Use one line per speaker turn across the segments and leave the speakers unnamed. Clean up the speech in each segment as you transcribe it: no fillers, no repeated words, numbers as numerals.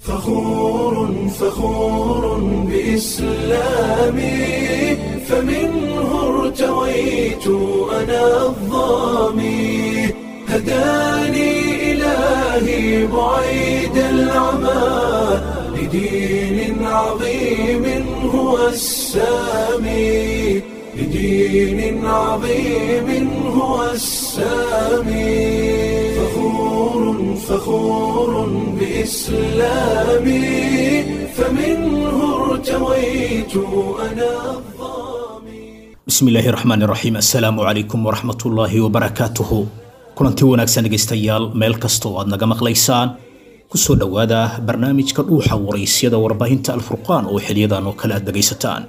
فخور فخور بإسلامي، فمنه ارتويت أنا الظامي، هداني إلهي بعيد العمى لدين عظيم هو السامي، لدين عظيم هو السامي. فخور فخور بإسلامي، فمنه ارتويت أنا الظامي.
Bismi illaahi raxmaan raxiim, assalaamu calaykum waraxmatullaahi wabarakaatuhu. Kulanti wanaagsan dhegaystayaal, meel kasta oo aad naga maqlaysaan, kusoo dhowaada barnaamijka Dhuuxa Waraysyada warbaahinta Alfurqaan oo xiliyadan oo kale aad dhegaysataan.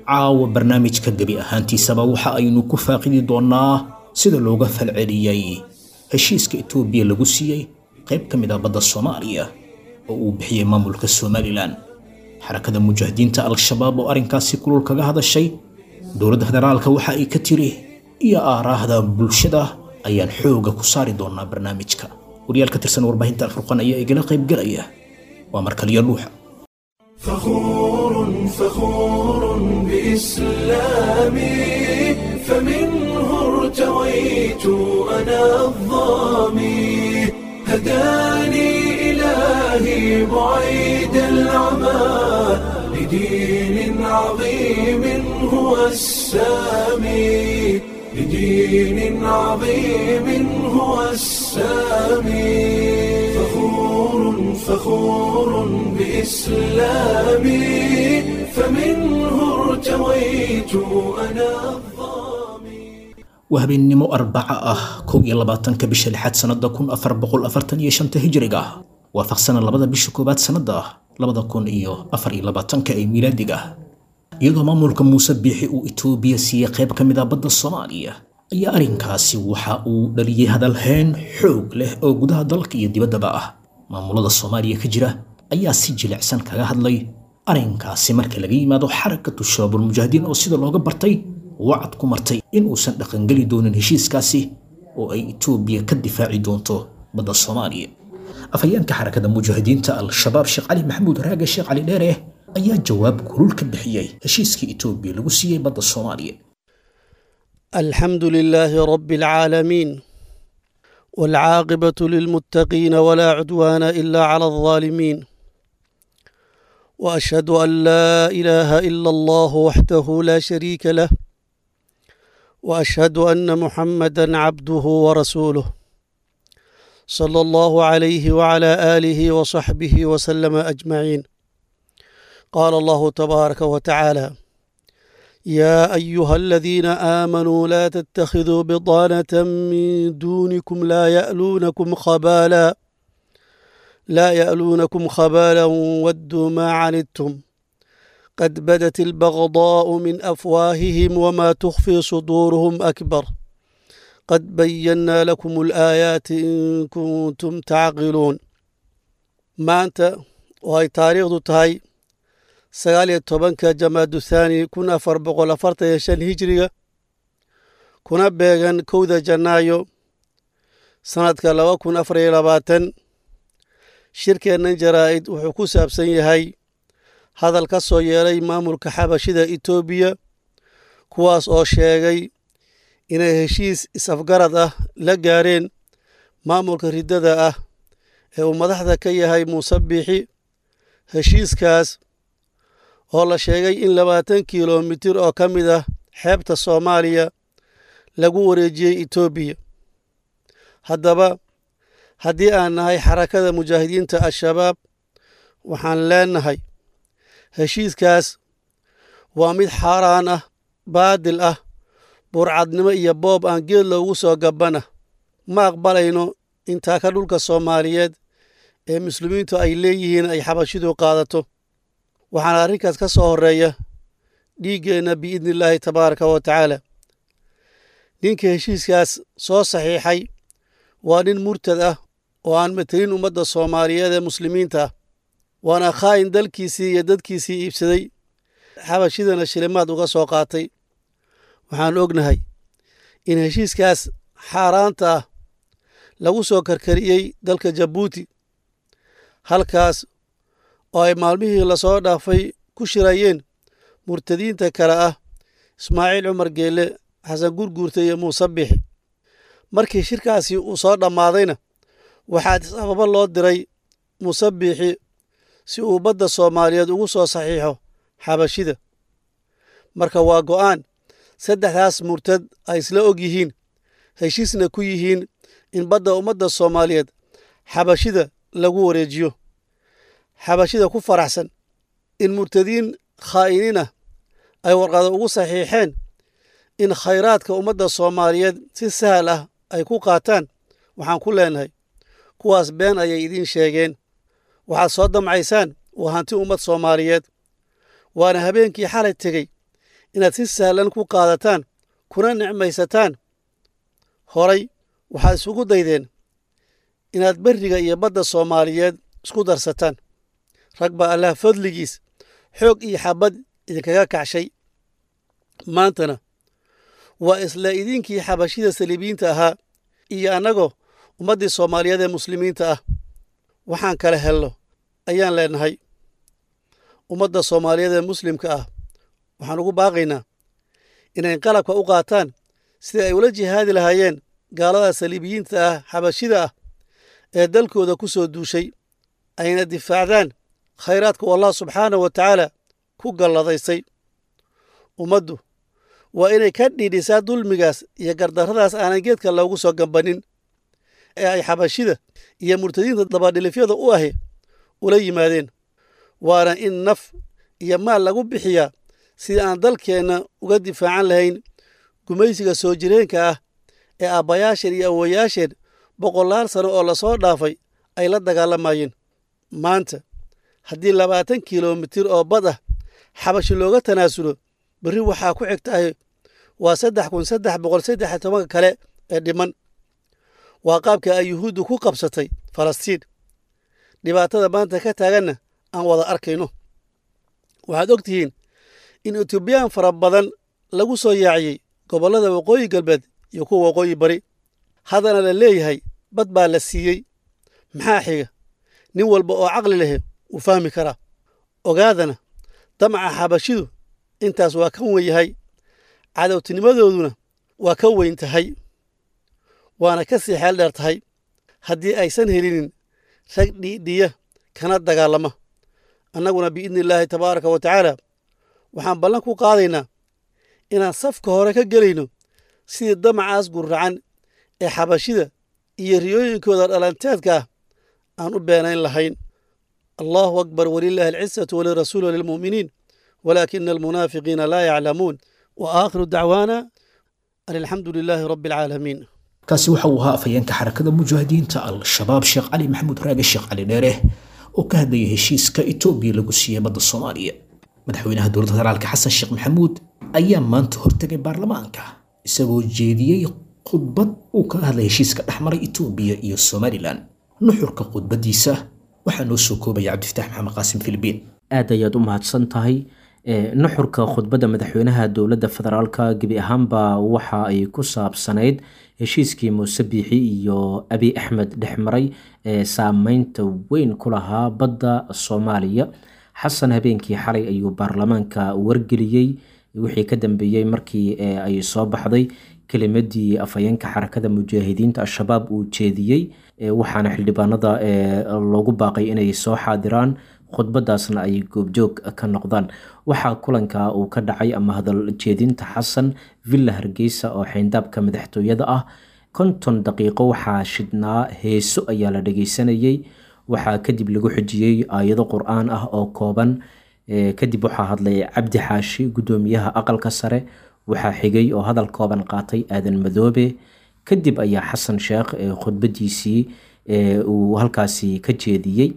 Caawa barnaamijka gebi ahaantiisaba waxa aynu ku faaqidi doonaa sida looga falceliyey heshiiska Itoobiya lagu siiyey qayb ka mid ah badda Soomaaliya oo uu bixiyey maamulka Somalilan, Xarakada Mujaahidiinta Al-Shabaab oo arrinkaasi kulul kaga hadashay, dowladda federaalka waxa ay ka tiri iyo aaraahda bulshada ayaan xooga ku saari doonaa barnaamijka. Wariyaal ka tirsan warbaahinta Alfurqaan ayaa igala qaybgalaya. Waa markaliyo Dhuuxa.
فخور فخور بإسلامي، فمنه ارتويت أنا الظامي، هداني إلهي بعيد العمى لدين عظيم هو السامي، لدين عظيم هو السامي. فخور فخور بإسلامي، فمنه ارتويت أنا الظامي.
Waa habeennimo Arbaca ah, 21-ka bisha lixaad sannada 1445-ta hijriga, waafaqsana 2-da bisha koowaad sannada 2024-ka ee miilaadiga. Iyadoo maamulka Muuse Biixi uu Itoobiya siiyey qayb ka mid ah badda Soomaaliya, ayaa arrinkaasi waxa uu dhaliyey hadalhayn xoog leh oo gudaha dalka iyo dibaddaba ah. Maamulada Soomaaliya ka jira ayaa si jilicsan kaga hadlay arrinkaasi, marka laga yimaado Xarakatu Shabaabulmujaahidiin oo sida looga bartay wacad ku martay in uusan dhaqangeli doonin heshiiskaasi oo ay Itoobiya ka difaaci doonto badda Soomaaliya. Afhayeenka Xarakada Mujaahidiinta Al-Shabaab, Sheekh Cali Maxamuud Raage, Sheekh Cali Dheere, ayaa jawaab kulul ka bixiyey heshiiskii Itoobiya lagu siiyey badda Soomaaliya.
الحمد لله رب العالمين، والعاقبة للمتقين، ولا عدوان إلا على الظالمين، وأشهد أن لا إله إلا الله وحده لا شريك له، وأشهد أن محمدا عبده ورسوله، صلى الله عليه وعلى آله وصحبه وسلم أجمعين. قال الله تبارك وتعالى: يا أيها الذين آمنوا لا تتخذوا بطانة من دونكم لا يألونكم خبالا ودوا ما عنتم قد بدت البغضاء من أفواههم وما تخفي صدورهم أكبر قد بينا لكم الآيات إن كنتم تعقلون. Maanta oo ay taariikhdu tahay 19-ka Jamaadu Thaani 1445 hijriga, kuna beegan 1-da Janaayo sanadka 2024, shirkeennan jaraa'id wuxuu ku saabsan yahay hadal ka soo yeelay maamulka Xabashida Itoobiya, kuwaas oo sheegay inay heshiis is-afgarad ah la gaareen maamulka riddada ah ee uu madaxda ka yahay Muuse Biixi, heshiiskaas oo la sheegay in 20 kilomitir oo ka mid ah xeebta Soomaaliya lagu wareejiyey Itoobiya. Haddaba, haddii aan nahay Xarakada Mujaahidiinta Al-Shabaab, waxaan leenahay heshiiskaas waa mid xaaraan ah, baadil ah, burcadnimo iyo boob aan geed loogu soo gabbana. Ma aqbalayno intaa ka dhulka Soomaaliyeed ee muslimiintu ay leeyihiin ay Xabashidu qaadato, waxaana arrinkaas ka soo horreeya dhiiggeenna, biidni illaahi tabaaraka wa tacaala. Ninka heshiiskaas soo saxiixay waa nin murtad ah oo aan matelin ummadda Soomaaliyeed ee muslimiinta ah, waana khaa'in dalkiisii iyo dadkiisii iibsaday, Xabashidana shilimaad uga soo qaatay. Waxaan ognahay in heshiiskaas xaaraanta ah lagu soo karkariyey dalka Jabuuti, halkaas Oo ay maalmihii lasoo dhaafay ku shirayeen murtadiinta kale ah Ismaaciil Cumar Geelle, Xasan Gurguurta iyo Muuse Bixi. Markii shirkaasi uu soo dhammaadayna, waxaa Addis Ababa loo diray Muuse Biixi si uu badda Soomaaliyeed ugu soo saxiixo Xabashida. Marka waa go'aan saddexdaas murtad ay isla og yihiin, heshiisna ku yihiin in badda ummadda Soomaaliyeed Xabashida lagu wareejiyo. Xabashida ku faraxsan in murtadiin khaa'iniin ah ay warqada ugu saxiixeen in khayraadka ummadda Soomaaliyeed si sahal ah ay ku qaataan, waxaan ku leenahay kuwaas been ayay idiin sheegeen. Waxaad soo damcaysaan waa hanti ummad Soomaaliyeed, waana habeenkii xalay tegey inaad si sahlan ku qaadataan kuna nicmaysataan. Horay waxaad isugu daydeen inaad berriga iyo badda Soomaaliyeed isku darsataan. Rag baa Allah fadligiis xoog iyo xabad idinkaga kacshay. Maantana waa isla idinkii Xabashida saliibiyiinta ahaa iyo annagoo ummaddii Soomaaliyeed ee muslimiinta ah. Waxaan kala helno ayaan leenahay. Ummadda Soomaaliyeed ee muslimka ah waxaan ugu baaqaynaa inay qalabka u qaataan sidai ay ula jihaadi lahaayeen gaalada saliibiyiinta ah, Xabashida ah ee dalkooda ku soo duushay, ayna difaacdaan khayraadka uu Allah subxaanahu wa tacaala ku galladaysay. Ummaddu waa inay ka dhiidhisaa dulmigaas iyo gardarradaas aanan geedka loogu soo gambanin ee ay Xabashida iyo murtadiinta dabadhilifyada u ahi ula yimaadeen, waana in naf iyo maal lagu bixiyaa sidii aan dalkeenna uga difaacan lahayn gumaysiga soo jireenka ah ee aabbayaasheen iyo awowayaasheen boqolaal sano oo lasoo dhaafay ay la dagaalamayeen. Maanta haddii 20 kilomitir oo bad ah Xabashi looga tanaasulo, berri waxaa ku xigtahay waa 3313-ka kale ee dhiman. Waa qaabka ay Yuhuuddu ku qabsatay Falastiin, dhibaatada maanta ka taaganna aan wada arkayno. Waxaad og tihiin in Etoobiyaan fara badan lagu soo yaaciyey gobollada waqooyi galbeed iyo kuwa waqooyi bari, haddana la leeyahay bad baa la siiyey. Maxaa xiga? Nin walba oo caqli leh wuu fahmi karaa. Ogaadana, damaca Xabashidu intaas waa ka wen yahay, cadowtinimadooduna waa ka weyn tahay, waana ka sii xeel dheer tahay haddii aysan helinin rag dhiidhiya kana dagaalama. Annaguna biidni illaahi tabaaraka wa tacaala waxaan ballan ku qaadaynaa inaan safka hore ka gelayno sidii damacaas guracan ee Xabashida iyo riyooyinkooda dhalanteedka ah aan u beenayn lahayn. Allahu akbar, walilaahi alcizatu walirasuuli walilmu'miniin, walaakina almunaafiqiina laa yaclamuun. Wa aakhiru dacwaana an alxamdu lilaahi rabbi alcaalamiin.
Kaasi waxa uu ahaa afhayeenka Xarakada Mujaahidiinta Al-Shabaab, Sheekh Cali Maxamuud Raage, Sheekh Cali Dheere, oo ka hadlayay heshiiska Itoobiya lagu siiyey badda Soomaaliya. Madaxweynaha dowladda federaalka Xasan Sheekh Maxamuud ayaa maanta hortegay baarlamaanka isagoo jeediyey khudbad uu kaga hadlay heshiiska dhexmaray Itoobiya iyo Somalilan. Nuxurka khudbadiisa waxaa noo soo koobaya Cabdifataax Maxamed Qaasim Filibiin.
Aad ayaad u mahadsan tahay. Nuxurka khudbadda madaxweynaha dowladda federaalka gebi ahaanba waxa ay ku saabsanayd heshiiskii Muuse Biixi iyo Abiy Axmed dhexmaray ee saameynta weyn ku lahaa badda Soomaaliya. Xasan habeenkii xalay ayuu baarlamaanka wargeliyey wixii ka dambeeyey markii ay soo baxday kelimadii afhayeenka Xarakada Mujaahidiinta Al-Shabaab uu jeediyey, waxaana xildhibaanada loogu baaqay inay soo xaadiraan, khudbadaasna ay goobjoog ka noqdaan. Waxaa kulanka uu ka dhacay ama hadal jeedinta Xasan Villa Hargeysa oo xeyndaabka madaxtooyada ah. 50 daqiiqo waxaa shidhnaa heeso ayaa la dhageysanayey. Waxaa kadib lagu xijiyey aayado qur-aan ah oo kooban. Kadib waxaa hadlay Cabdi Xaashi, guddoomiyaha aqalka sare. Waxaa xigay oo hadal kooban qaatay Aadan Madoobe. Kadib ayaa Xasan Sheekh khudbadiisii uu halkaasi ka jeediyey.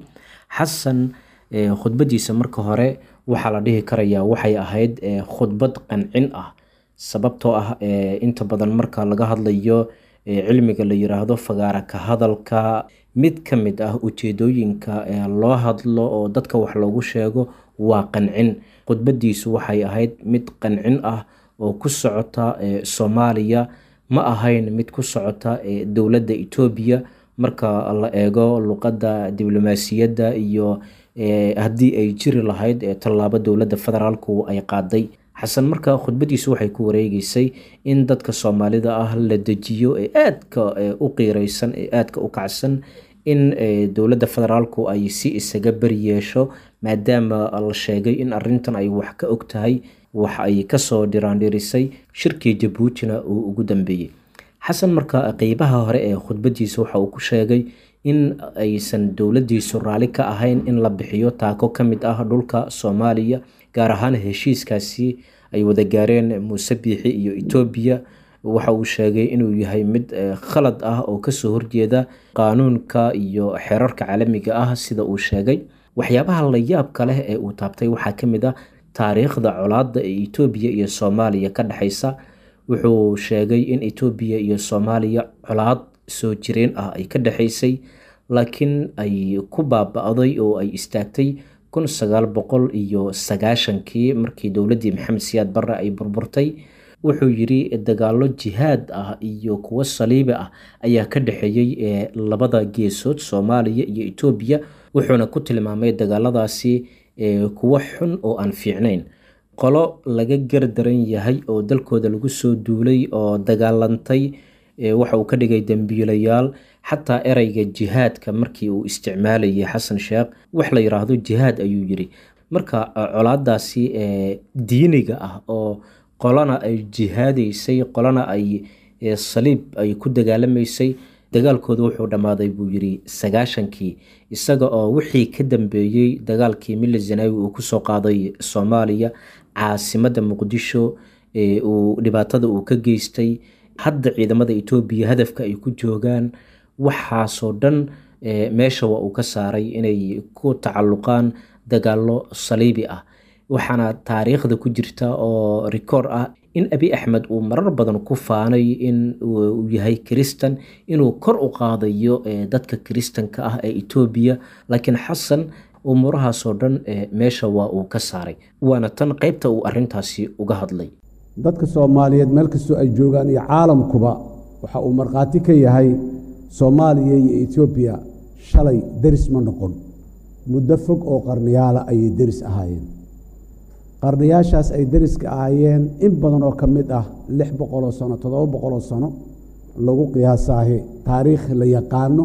Xasan khudbadiisa marka hore waxaa la dhihi karayaa waxay ahayd khudbad qancin ah, sababtoo ah inta badan marka laga hadlayo cilmiga la yiraahdo fagaara ka hadalka, mid ka mid ah ujeedooyinka loo hadlo oo dadka wax loogu sheego waa qancin. Khudbadiisu waxay ahayd mid qancin ah oo ku socota Soomaaliya, ma ahayn mid ku socota dowladda Itoobiya. Marka la eego luqadda diblomaasiyadda iyo Haddii ay jiri lahayd tallaabo dowladda federaalku ay qaaday. Xasan marka khudbadiisu waxay ku wareegeysay in dadka Soomaalida ah la dejiyo ee aadka u qiireysan ee aadka u kacsan, in dowladda federaalku ay si isaga beri yeesho, maadaama la sheegay in arintan ay wax ka og tahay, wax ay kasoo dhiraandhirisay, shirkii Jabuutina uu ugu dambeeyey. Xasan marka qeybaha hore ee khudbadiisa waxa uu ku sheegay in aysan dowladdiisu raali ka ahayn in la bixiyo taako ka mid ah dhulka Soomaaliya, gaar ahaan heshiiskaasi ay wada gaareen Muuse Biixi iyo Etoobiya. Waxa uu sheegay inuu yahay mid khalad ah oo kasoo horjeeda qaanuunka iyo xeerarka caalamiga ah. Sida uu sheegay, waxyaabaha la yaabka leh ee uu taabtay waxaa ka mid ah taariikhda colaadda ee Etoobiya iyo Soomaaliya ka dhexeysa. Wuxuu sheegay in Etoobiya iyo Soomaaliya colaad soo jireen ah ay ka dhexeysay, laakiin ay ku baaba-day oo ay istaagtay 1990-kii markii dowladdii Maxamed Siyaad Barre ay burburtay. Wuxuu yidhi dagaallo jihaad ah iyo kuwo saliibi ah ayaa ka dhexeeyey ee labada geesood, Soomaaliya iyo Etoobiya, wuxuuna ku tilmaamay dagaaladaasi kuwo xun oo aan fiicnayn, qolo laga gardaran yahay oo dalkooda lagu soo duulay oo dagaalantay waxa uu ka dhigay dembiilayaal. Xataa ereyga jihaadka markii uu isticmaalayay Xasan Sheekh, wax la yiraahdo jihaad ayuu yidhi. Marka colaadaasi diiniga ah oo qolana ay jihaadaysay, qolana ay saliib ay ku dagaalamaysay, dagaalkooda wuxuu dhammaaday buu yidhi 90-kii, isaga oo wixii ka dambeeyey dagaalkii Mili Zanaawi uu kusoo qaaday Soomaaliya, caasimadda Muqdisho uu dhibaatada uu ka geystay, hadda ciidamada Etoobiya hadafka ay ku joogaan, waxaasoo dhan meesha waa uu ka saaray inay ku tacalluqaan dagaallo saliibi ah. Waxaana taariikhda ku jirta oo rikoor ah in Abi Axmed uu marar badan ku faanay in uu yahay Kiristan, inuu kor u qaadayo dadka Kiristanka ah ee Etoobiya, laakiin Xasan umuurahaasoo dhan meesha waa uu ka saaray, waana tan qeybta uu arintaasi uga hadlay.
Dadka Soomaaliyeed meel kastoo ay joogaan iyo caalamkuba waxa uu markhaati ka yahay Soomaaliya iyo Etoobiya shalay deris ma noqon, muddo fog oo qarniyaala ayay deris ahaayeen. Qarniyaashaas ay deriska ahaayeen in badan oo ka mid ah, 600-oo sano, 700-oo sano lagu qiyaasaahi, taariikh la yaqaano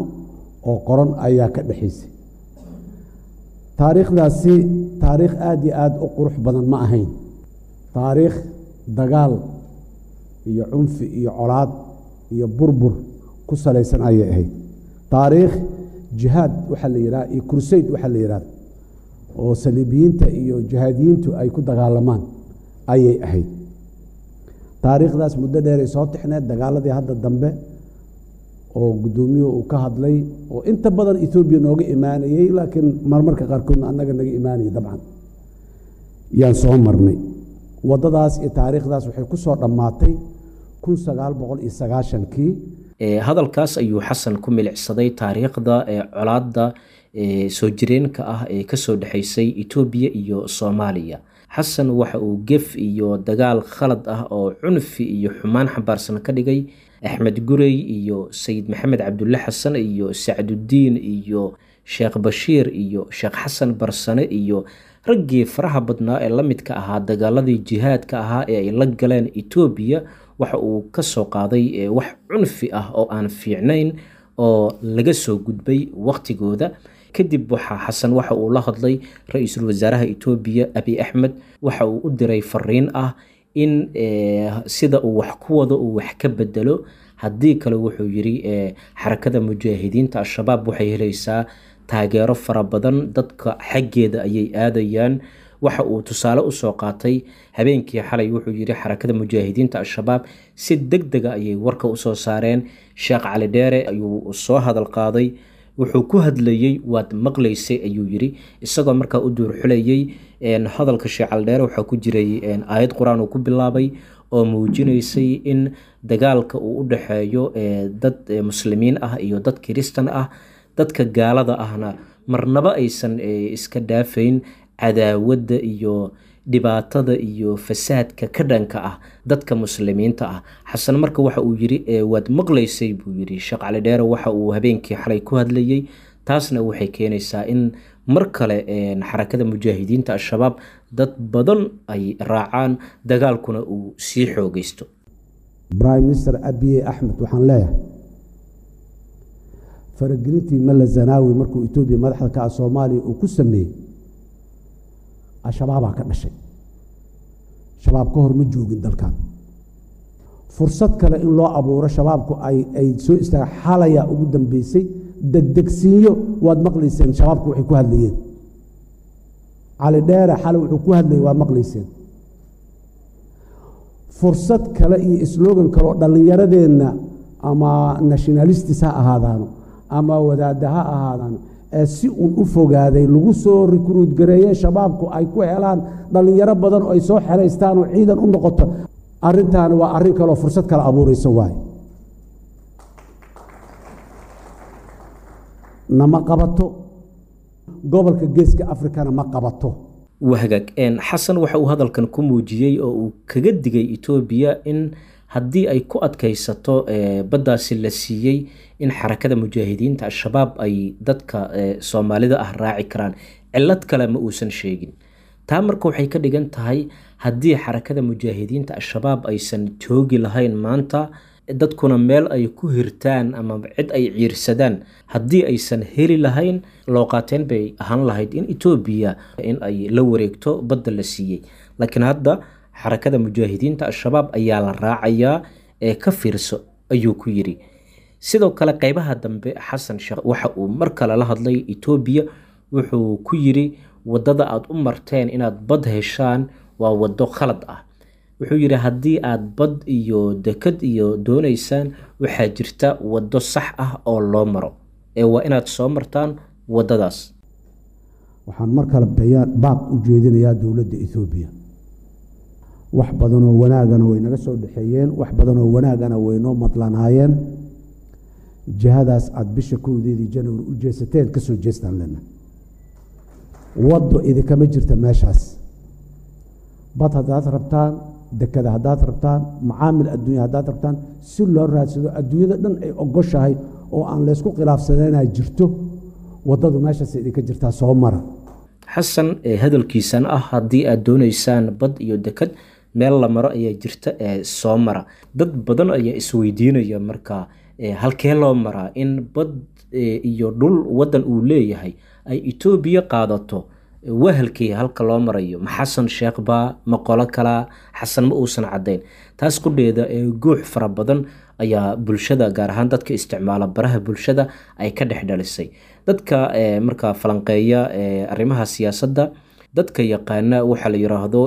oo qoran ayaa ka dhexaysay. Taariikhdaasi taariikh aad iyo aad u qurux badan ma ahayn, taariikh dagaal iyo cunfi iyo colaad iyo burbur ku salaysan ayay ahayd. Taariikh jihaad waxaa la yidhaha iyo crusade waxaa la yidhahda oo saliibiyiinta iyo jihaadiyiintu ay ku dagaalamaan ayay ahayd. Taariikhdaas muddo dheeray soo tixneed. Dagaaladii hadda dambe oo guddoomiyuhu uu ka hadlay oo inta badan Etoobiya nooga imaanayey, laakiin marmarka qaarkoodna annaga naga imaanayay, dabcan yaan soo marnay waddadaas iyo taariikhdaas, waxay ku soo dhammaatay 1990-kii.
Hadalkaas ayuu Xasan ku milicsaday taariikhda ee colaadda soo jireenka ah ee kasoo dhexeysay Etoobiya iyo Soomaaliya. Xasan waxa uu gef iyo dagaal khalad ah oo cunfi iyo xumaan xambaarsan ka dhigay Axmed Gurey iyo Sayid Maxamed Cabdulle Xasan iyo Sacdudiin iyo Sheekh Bashiir iyo Sheekh Xasan Barsane iyo raggii faraha badnaa ee la midka ahaa dagaaladii jihaadka ahaa ee ay la galeen Etoobiya. Waxa uu ka soo qaaday wax cunfi ah oo aan fiicnayn oo laga soo gudbay waqtigooda. Kadib waxaa Xasan waxa uu la hadlay ra-iisul wasaaraha Etoobiya Abi Axmed, waxa uu u diray fariin ah in sida uu wax ku wado uu wax ka bedelo, haddii kale wuxuu yidhi Xarakada Mujaahidiinta Al-Shabaab waxay helaysaa taageero fara badan, dadka xaggeeda ayay aadayaan. Waxa uu tusaale usoo qaatay habeenkii xalay, wuxuu yidhi Xarakada Mujaahidiinta Al-Shabaab si deg dega ayay warka usoo saareen. Sheekh Cali Dheere ayuu soo hadal qaaday, wuxuu ku hadlayey waad maqlaysay ayuu yidhi, isagoo markaa u duurxulayey hadalka Sheekh Cali Dheere. Waxaa ku jiray aayad qur-aan uu ku bilaabay oo muujinaysay in dagaalka uu u dhexeeyo dad muslimiin ah iyo dad kiristan ah, dadka gaalada ahna marnaba aysan iska dhaafayn cadaawadda iyo dhibaatada iyo fasaadka ka dhanka ah dadka muslimiinta ah. Xasan marka waxa uu yidhi waad maqlaysay buu yidhi Sheekh Cali Dheere waxa uu habeenkii xalay ku hadlayey, taasna waxay keenaysaa in mar kale Xarakada Mujaahidiinta Al-Shabaab dad badan ay raacaan, dagaalkuna uu sii xoogeysto.
Prime Minister Abiye Axmed, waxaan leeyahay faragelintii Mala Zanaawi markuu Etoobiya madaxda ka ah Soomaaliya uu ku sameeyey, Al-Shabaabaa ka dhashay. Shabaab ka hor ma joogin dalkan. Fursad kale in loo abuuro Shabaabku ay soo istaaga xalayaa ugu dambeysay degdegsiinyo. Waad maqlayseen Shabaabku waxay ku hadlayeen. Cali Dheere xalay wuxuu ku hadlayay waad maqlayseen. Fursad kale iyo slogan kale oo dhallinyaradeenna, ama nationalistis ha ahaadaano ama wadaadda ha ahaadaano, ee si uun u fogaaday lagu soo recruit gareeye, Shabaabku ay ku helaan dhallinyaro badan oo ay soo xeraystaan oo ciidan u noqoto. Arrintaani waa arrin kaleoo fursad kale abuuraysa waaye. Nama qabato, gobolka Geeska Afrikana ma qabato.
Wahagaag, Xasan waxa uu hadalkan ku muujiyey oo uu kaga digay Etoobiya in haddii ay ku adkaysato baddaasi la siiyey, in Xarakada Mujaahidiinta Al-Shabaab ay dadka Soomaalida ah raaci karaan. Cillad kale ma uusan sheegin. Taa marka waxay ka dhigan tahay haddii Xarakada Mujaahidiinta Al-Shabaab aysan joogi lahayn maanta, dadkuna meel ay ku hirtaan ama cid ay ciirsadaan haddii aysan heli lahayn, loo qaateen bay ahaan lahayd in Etoobiya in ay la wareegto badda la siiyey. Laakiin hadda Xarakada Mujaahidiinta Al-Shabaab ayaa la raacayaa ee ka fiirso, ayuu ku yidhi. Sidoo kale qeybaha dambe Xasan Sheekh waxa uu mar kale la hadlay Etoobiya. Wuxuu ku yidhi waddada aad u marteen inaad bad heshaan waa waddo khalad ah. Wuxuu yidhi haddii aad bad iyo dekad iyo doonaysaan, waxaa jirta waddo sax ah oo loo maro, ee waa inaad soo martaan waddadaas.
Waxaan mar kale bayaan baaq u jeedinayaa dowladda Etoobiya. Wax badanoo wanaagana way naga soo dhexeeyeen, wax badanoo wanaagana way noo madlanaayeen. Jihadaas aada bisha 1deedii Janawari u jeesateen ka soo jeestaan lena. Waddo idinkama jirta meeshaas. Bad haddaad rabtaan, dekada haddaad rabtaan, macaamil adduunya haddaad rabtaan, si loo raadsado adduunyada dhan ay ogoshahay oo aan laysku khilaafsanayna jirto. Waddadu meeshaas idinka jirtaa, soo mara.
Xasan hadalkiisan ah haddii aad doonaysaan bad iyo dekad, meel la maro ayaa jirta ee soo mara, dad badan ayaa isweydiinaya marka halkee loo maraa in bad iyo dhul waddan uu leeyahay ay Etoobiya qaadato? Wahalkii halka loo marayo, ma Xasan Sheekh baa, ma qolo kalaa? Xasan ma uusan caddayn. Taas qudheeda ee guux fara badan ayaa bulshada, gaar ahaan dadka isticmaala baraha bulshada, ay ka dhex dhalisay. Dadka markaa falanqeeya arrimaha siyaasadda, dadka yaqaana waxaa la yiraahdo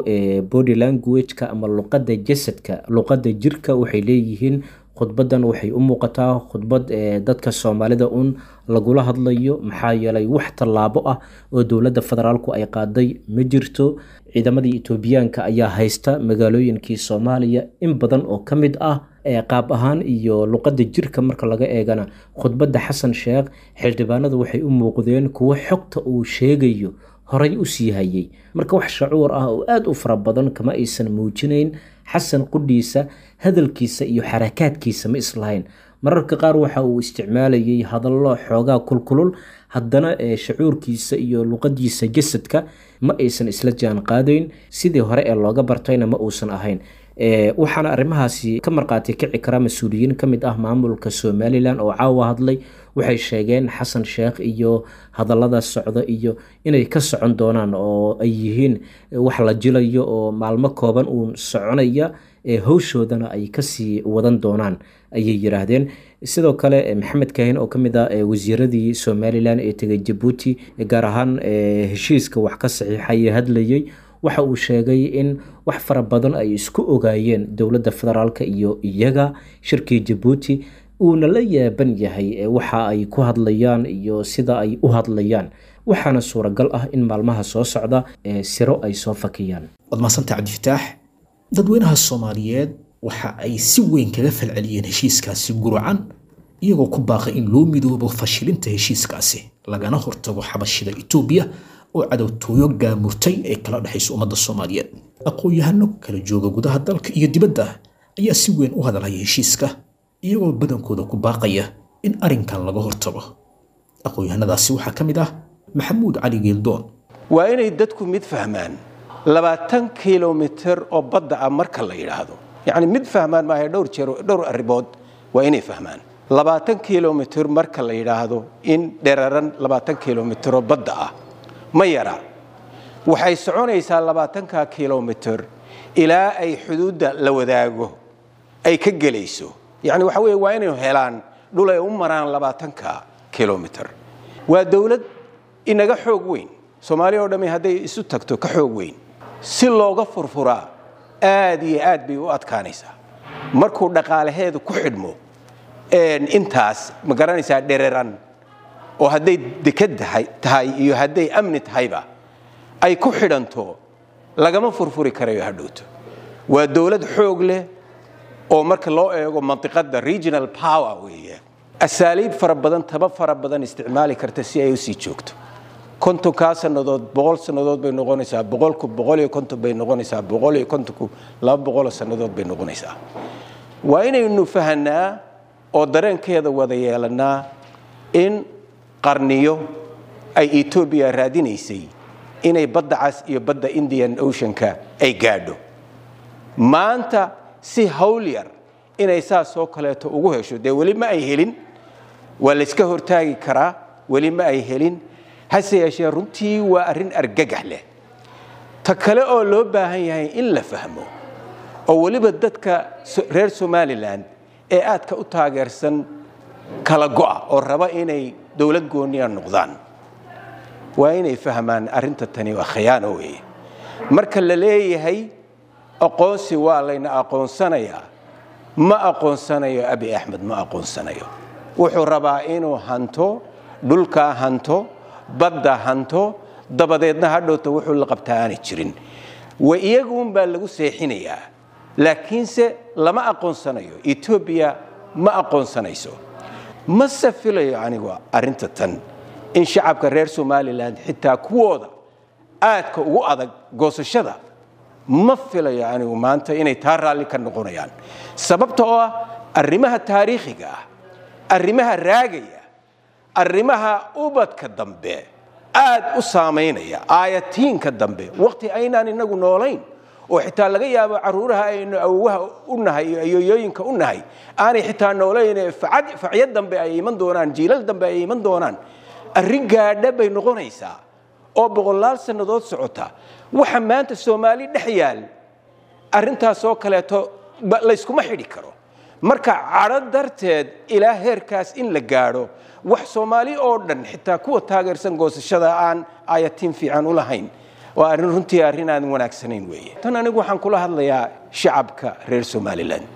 body language-ka ama luqadda jasadka, luqadda jirka, waxay leeyihiin khudbaddan waxay u muuqataa khudbad dadka Soomaalida uun lagula hadlayo, maxaa yeelay wax tallaabo ah oo dowladda federaalku ay qaaday ma jirto. Ciidamadii Etoobiyaanka ayaa haysta magaalooyinkii Soomaaliya in badan oo ka mid ah. Qaab ahaan iyo luqadda jirka marka laga eegana, khudbadda Xasan Sheekh xildhibaanadu waxay u muuqdeen kuwo xogta uu sheegayo horay u sii hayay. Marka wax shacuur ah oo aada u fara badan kama aysan muujinayn. Xasan qudhiisa hadalkiisa iyo xarakaadkiisa ma islahayn. Mararka qaar waxa uu isticmaalayay hadallo xoogaa kulkulul, haddana shacuurkiisa iyo luqadiisa jasadka ma aysan isla jaan qaadayn. Sidii hore ee looga bartayna ma uusan ahayn. Waxaana arrimahaasi ka marqaati kici kara mas-uuliyiin ka mid ah maamulka Somalilan oo caawa hadlay. Waxay sheegeen Xasan Sheekh iyo hadallada socda iyo inay ka socon doonaan oo ay yihiin wax la jilayo oo maalmo kooban uun soconaya, howshoodana ay kasii wadan doonaan, ayay yiraahdeen. Sidoo kale Maxamed Kahin oo kamid ah wasiiradii Somalilan ee tegay Jabuuti, gaar ahaan heshiiska wax ka saxiixay hadlayay, waxa uu sheegay in wax fara badan ay isku ogaayeen dowladda federaalka iyo iyaga shirkii Jabuuti, uuna la yaaban yahay waxa ay ku hadlayaan iyo sida ay u hadlayaan. Waxaana suuragal ah in maalmaha soo socda siro ay soo fakiyaan.
Waad mahadsantahay, Cabdifataax. Dadweynaha Soomaaliyeed waxa ay si weyn kaga falceliyeen heshiiskaasi gurucan, iyagoo ku baaqay in loo midoobo fashilinta heshiiskaasi, lagana hortago xabashida Itoobiya oo cadowtooyo gaamurtay ee kala dhexaysa ummadda Soomaaliyeed. Aqoon-yahano kala jooga gudaha dalka iyo dibadda ayaa si weyn u hadalhaya heshiiska, iyagoo badankooda ku baaqaya in arrinkan laga hortago. Aqoon-yahanadaasi waxaa ka mid ah Maxamuud Cali Geeldoon.
Waa inay dadku mid fahmaan: 20 kilomitir oo badda ah marka la yidhaahdo, yacni mid fahmaan maaha, dhowr jeer, dhowr arrimood waa inay fahmaan. 20 kilomitir marka la yidhaahdo, in dheraran 20 kilomitir oo badda ah ma yara. Waxay soconaysaa 20-ka kilomitir ilaa ay xuduudda la wadaago ay ka gelayso. Yacni waxa weeye, waa inay helaan dhul ay u maraan 20-ka kilomitir. Waa dowlad inaga xoog weyn, Soomaaliya oo dhammi hadday isu tagto ka xoog weyn. Si looga furfuraa aad iyo aad bay u adkaanaysaa markuu dhaqaalaheedu ku xidhmo intaas, ma garanaysaa, dhereran oo hadday dekad tahay iyo hadday amni tahayba ay ku xidhanto, lagama furfuri karayo hadhowto. Waa dowlad xoog leh oo marka loo eego mantiqadda regional power weeye, asaaliib fara badan, taba fara badan isticmaali karta si ay u sii joogto. 50-kaa sannadood 100 sannadood bay noqonaysaa, 100-ku 150 bay noqonaysaa, 150-ku 200 sannadood bay noqonaysaa. Waa inaynu fahanaa oo dareenkeeda wada yeelannaa in qarniyo ay Etoobiya raadinaysay inay Badda Cas iyo badda Indian Oceanka ay gaadho. Maanta si hawl yar inay saas oo kaleeto ugu hesho, dee weli ma ay helin, waa layska hortaagi karaa, weli ma ay helin. Hase yeeshee runtii waa arrin argagax leh. Ta kale oo loo baahan yahay in la fahmo, oo weliba dadka reer Somaliland ee aadka u taageersan kala go'a oo raba inay dowlad gooniya noqdaan, waa inay fahmaan arrinta tani waa khiyaano weeye. Marka la leeyahay aqoonsi waa layna aqoonsanayaa, ma aqoonsanayo Abi Axmed, ma aqoonsanayo. Wuxuu rabaa inuu hanto dhulkaa, hanto badda, hanto, dabadeedna hadhowta wuxuu la qabtaa aanay jirin. Wa iyaguunbaa lagu seexinayaa, laakiinse lama aqoonsanayo, Etoobiya ma aqoonsanayso. Mase filayo anigu arrinta tan in shacabka reer Somaliland, xitaa kuwooda aadka ugu adag goosashada, ma filayo anigu maanta inay taa raalli ka noqonayaan, sababta oo ah arrimaha taariikhiga ah, arrimaha raagaya, arrimaha ubadka dambe aad u saamaynaya, aayatiinka dambe, waqti aynaan inagu noolayn oo xitaa laga yaabo caruuraha aynu awowaha u nahay iyo ayoyooyinka u nahay aanay xitaa noolayn, facyo dambe ay iman doonaan, jiilal dambe ay iman doonaan, arrin gaadha bay noqonaysaa oo boqolaal sannadood socota. Waxa maanta Soomaali dhex yaal arrintaasoo kaleeto layskuma xidhi karo. Marka cadho darteed ilaa heerkaas in la gaadho, wax Soomaali oo dhan, xitaa kuwa taageersan goosashada, aan aayatiin fiican u lahayn, waa arrin runtii arrin aan wanaagsanayn weeye. Tan anigu waxaan kula hadlayaa shacabka reer Somaliland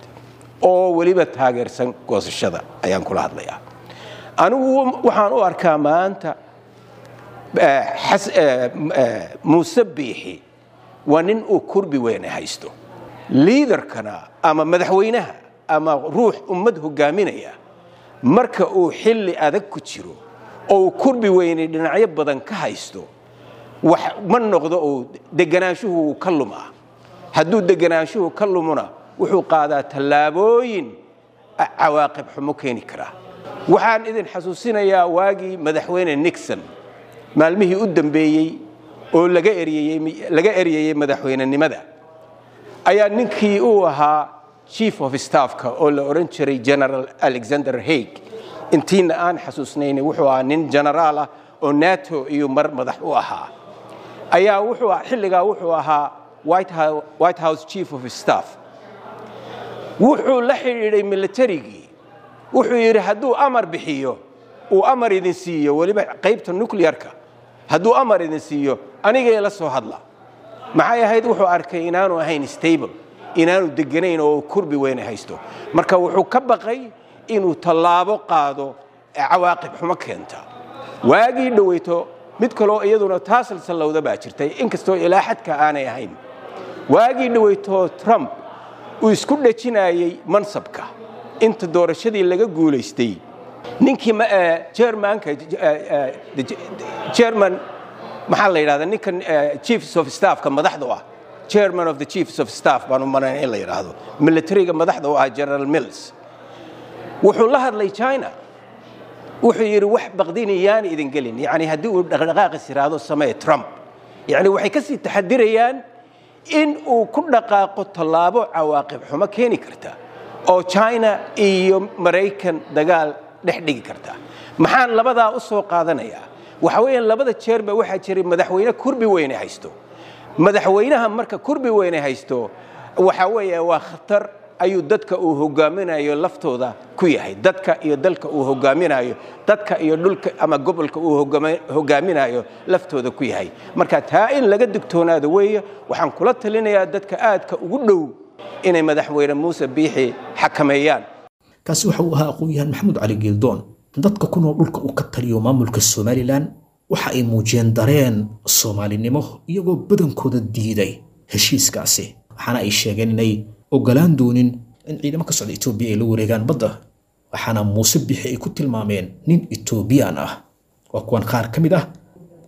oo weliba taageersan goosashada ayaan kula hadlayaa. Anigu waxaan u arkaa maanta Muuse Biixi waa nin uu kurbi weyne haysto. Liidarkana ama madaxweynaha ama ruux ummad hogaaminaya, marka uu xilli adag ku jiro oo uu kurbi weyne dhinacyo badan ka haysto, wax ma noqdo uu deganaanshuhu wuu ka lumaa. Hadduu deganaanshuhu ka lumona, wuxuu qaadaa tallaabooyin cawaaqib xumo keeni karaa. Waxaan idin xasuusinayaa waagii madaxweyne Nixon maalmihii u dambeeyey oo laga eryayey madaxweynenimada, ayaa ninkii uu ahaa chief of staffka oo la odhan jiray General Alexander Haig, intiina aan xasuusnayn, wuxuu ahaa nin generaal ah oo NATO iyo mar madax u ahaa, ayaa wuxuu xilligaa wuxuu ahaa White House chief of staff. Wuxuu la xidhiidhay militarigii. Wuxuu yidhi, hadduu amar bixiyo, uu amar idin siiyo, weliba qaybta nuclearka hadduu amar idin siiyo, anigay la soo hadla. Maxay ahayd? Wuxuu arkay inaanu ahayn stable, inaanu deganayn oo kurbi weyne haysto. Marka wuxuu ka baqay inuu tallaabo qaado cawaaqib xumo keenta. Waagii dhoweyto mid kaloo iyaduna taa salsallowda baa jirtay, inkastoo ilaa xadka aanay ahayn. Waagii dhoweyto Trump uu isku dhejinayey mansabka inta doorashadii laga guulaystay, ninkii chairmanka, chairman maxaa la yidhahdaa, ninkan chiefs of staffka madaxda u ah, chairman of the chiefs of staff baan u malayn in la yidhaahdo, militariga madaxda u ah, General Mills, wuxuu la hadlay China. Wuxuu yidhi wax baqdinayaan idin gelin, yacni haddii uu dhaqdhaqaaqis yidhaahdo samee Trump, yacni waxay kasii taxadirayaan in uu ku dhaqaaqo tallaabo cawaaqib xumo keeni karta oo China iyo Maraykan dagaal dhex dhigi karta. Maxaan labadaa u soo qaadanayaa? Waxa weeyaan labada jeerba waxaa jiray madaxweyne kurbi weyne haysto. Madaxweynaha marka kurbi weyne haysto, waxa weeye waa khatar ayuu dadka uu hogaaminayo laftooda ku yahay, dadka iyo dalka uu hogaaminayo, dadka iyo dhulka ama gobolka uu hogaaminayo laftooda ku yahay. Marka taa in laga digtoonaado weeye. Waxaan kula talinayaa dadka aadka ugu dhow inay madaxweyne Muuse Biixi xakameeyaan.
Kaasi waxa uu ahaa aqoon-yahan Maxamuud Cali Geeldoon. Dadka ku nool dhulka uu ka taliyo maamulka Somalilan waxa ay muujiyeen dareen Soomaalinimo, iyagoo badankooda diiday heshiiskaasi, waxaana ay sheegeen inay ogolaan doonin in ciidamo ka socda Itoobiya ay la wareegaan badda, waxaana Muuse Bixi ay ku tilmaameen nin Itoobiyaan ah. Waa kuwan qaar ka mid ah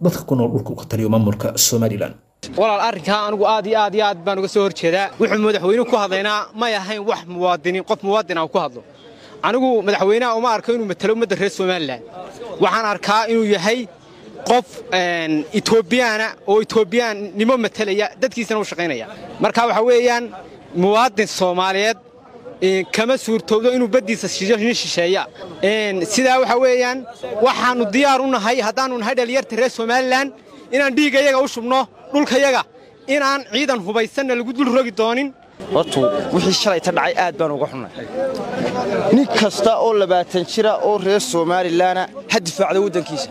dadka ku nool dhulka uu ka taliyo maamulka Somalilan.
Walaal, arrinkaa anigu aad iyo aad iyo aad baan uga soo hor jeedaa. Wuxuu madaxweynuhu ku hadlaynaa may ahayn wax muwaadiniin, qof muwaadin ah ku hadlo. Anigu madaxweynaha uma arko inuu matalo ummadda reer Somalilan. Waxaan arkaa inuu yahay qof Etoobiyaana oo Etoobiyaannimo matalaya, dadkiisana u shaqaynaya. Marka waxa weeyaan muwaadin Soomaaliyeed kama suurtowdo inuu baddiisa shido nin shisheeya. Sidaa waxa weeyaan waxaannu diyaar u nahay, haddaannu nahay dhalinyarta reer Somalilan, inaan dhiiggayaga u shubno dhulkayaga, inaan ciidan hubaysanna lagu dul rogi doonin.
Hortu wixii shalayta dhacay aad baan uga xunnay. Nin kasta oo 20 jira oo reer Somalilanna ha difaacda waddankiisa.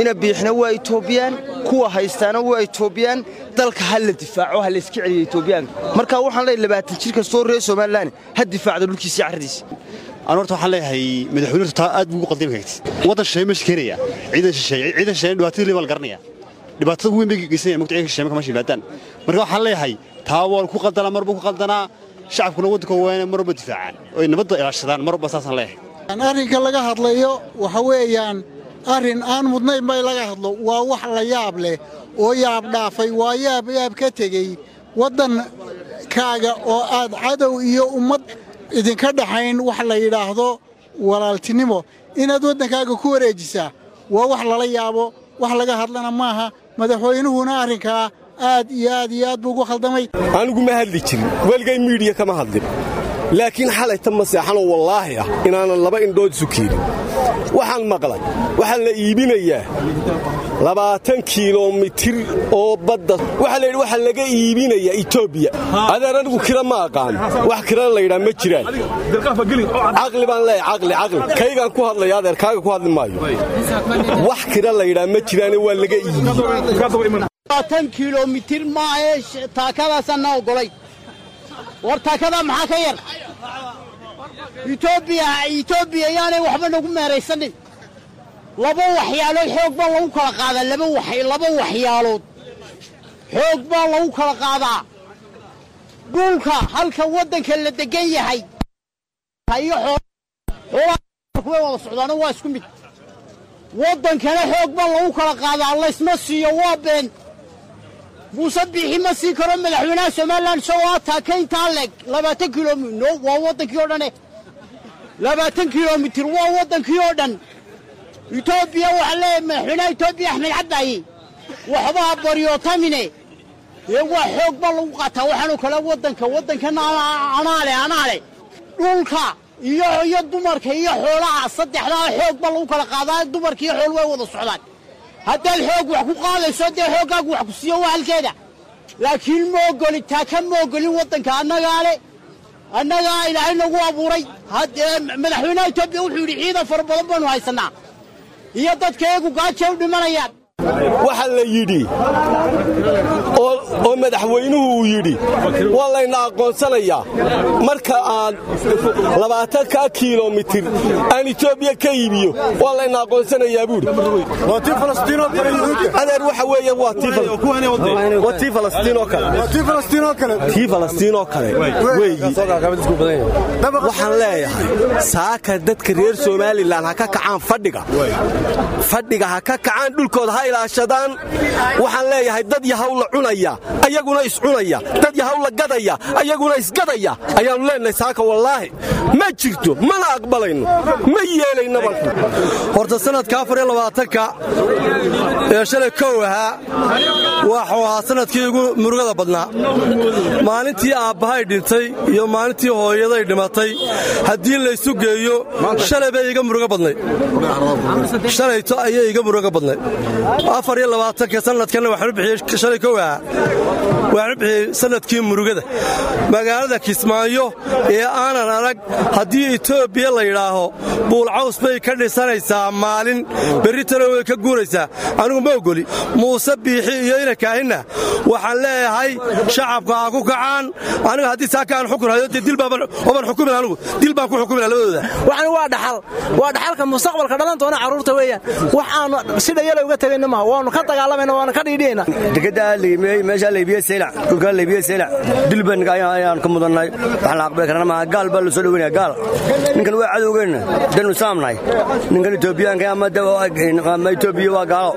Ina Biixna waa Etoobiyaan, kuwa haystaana waa Etoobiyaan. Dalka ha la difaaco, ha layska celiyo Etoobiyaanka. Marka waxaan leeyahay 20 jir kastoo reer Somalilan ha difaacda dhulkiisa iyo carradiisa.
Aan horta waxaan leeyahay madaxweynuhu taa aad buu ugu qaldami kartid. Waddan shisheeye meesha keenaya, ciidan shisheeye, ciidan shisheeye dhibaatada leebaa la garanaya, dhibaatada ugu weyn bay geysanaya mugta ciidanka shisheeye marka meesha yimaadaan. Marka waxaan leeyahay taa waa ku qaldanaa, mar buu ku qaldanaa. Shacabkuna waddanka waa inay mar walba difaacaan oo ay nabadda ilaashadaan mar walba, saasaan leeyahay.
Arrinka laga hadlayo waxa weeyaan arrin aan mudnayn bay laga hadlo. Waa wax la yaab leh oo yaab dhaafay, waa yaab yaab ka tegey. Waddankaaga oo aad cadow iyo ummad idinka dhaxayn wax la yidhaahdo walaaltinimo inaad waddankaaga ku wareejisaa waa wax lala yaabo, wax laga hadlana maaha. Madaxweynuhuna arrinkaa aad iyo aad iyo aad buu ugu khaldamay.
Anigu ma hadli jirin, weligay miidiya kama hadlin, laakiin xalayta ma seexanoo wallaahi ah inaanan laba indhood isu keenin. Waxaan maqlay waxaa la iibinayaa 20 kiilomitir oo badda. Waxaa la yidhi waxaa laga iibinayaa Etoobiya. Adaan anigu kira ma aqaan, wax kirana la yidhaa ma jiraan. Caqli baan leeyahay, caqli, caqli kaygaan ku hadlaya, adeer kaaga ku hadli maayo. Wax kira la yidhaa ma jiraane, waa laga iibiyey.
20 kilomitir maahe, taakadaasaan na ogolay. War taakadaa maxaa ka yar? Etoobiya, Etoobiya yaanay waxba nagu meeraysanin. Laba waxyaalood xoog baa lagu kala qaadaa, laba wax, laba waxyaalood xoog baa lagu kala qaadaa: dhulka halka waddanka la degan yahay iyo xoolaha way wada socdaano, waa isku mid. Waddankana xoog baa lagu kala qaadaa, laysma siiyo, waa been. Muuse Biixi ma siin karo madaxweynaha Somalilan isagoo ah taakayntaa leeg 20 kilomitr. Waa waddankii oo dhane, 20 kilomitir waa waddankii oo dhan. Etoobiya waxaa leeyahay madaxweynaha Etoobiya Axmed Cabdaaye, waxbaa baryootamine ee waa xoog baa lagu qaataa. Waxaanu kale waddanka, waddankana anaa le, anaa le. Dhulka iyo dumarka iyo xoolaha, saddexdaa xoog baa lagu kala qaadaa. Dumarka iyo xool way wada socdaan. Haddaad xoog wax ku qaadayso, dee xooggaagu wax ku siiyo waa halkeeda, laakiin ma ogolin taaka, ma ogolin. Waddanka annagaa le, annagaa Ilaahay nagu abuuray. Madaxweynaha Etoobiya wuxuu yidhi ciidan fara badan baanu haysannaa iyo dadka iyagu gaaja u dhimanayaan.
Waxa la yidhi oo madaxweynuhu uu yidhi waa layna aqoonsanayaa marka aan 20-kaa kiilomitir aan Etoobiya ka iibiyo, waa layna aqoonsanayaa buudhi. Adeer, waxa weeye waa tii Falastiin oo kale, tii Falastiin oo kale weeyi. Waxaan leeyahay saaka dadka reer Somalilan ha ka kacaan fadhiga, fadhiga ha ka kacaan, dhulkooda ha ilaashadaan. Waxaan leeyahay dad yahaw la cunaya ayaguna iscunaya, dad yahaw la gadaya ayaguna isgadaya ayaannu leenahay saaka wallaahi. Ma jirto, mana aqbalayno, ma yeelaynaba.
Horta sanadka 24-ka ee shalay kow ahaa waxuu ahaa sanadkii ugu murugada badnaa. Maalintii aabbahay dhintay iyo maalintii hooyaday dhimatay haddii laysu geeyo, shalay bay iga murugo badnayd, shalayto ayay iga murugo badnayd. 24-ka sanadkanna waxaan u bixiyey, shalay kow ahaa waxaan u bixiyey sanadkii murugada. Magaalada Kismaayo ee aanan arag haddii Etoobiya la yidhaaho buulcaws bay ka dhisanaysaa maalin, berritana way ka guuraysaa, anigu ma ogoli. Muuse Biixi iyo inankaahinna waxaan leeyahay shacabka ha ku kacaan. Aniga haddii saaka aan xukun hayo, dee dil baaban xukumin, anigu dil baan ku xukumina labadooda.
Waxani waa dhaxal, waa dhaxalka mustaqbalka dhalan doona carruurta weeyaan. Wax aanu si dhayala uga tegayna maaha, waanu ka dagaalamayna, waanu ka dhiidhiyayna.
Dekedda meeshaa laybiye Seylac, dhulkaa laybiye Seylac, dil baan ayaan ka mudannay. Waxaan la aqbali karana maaha. Gaal baa la soo dhoweynaya, gaal. Ninkan waa cadowgeenna, danu islaam nahay. Ninkan Etoobiyaanka ama Etoobiya waa gaalo,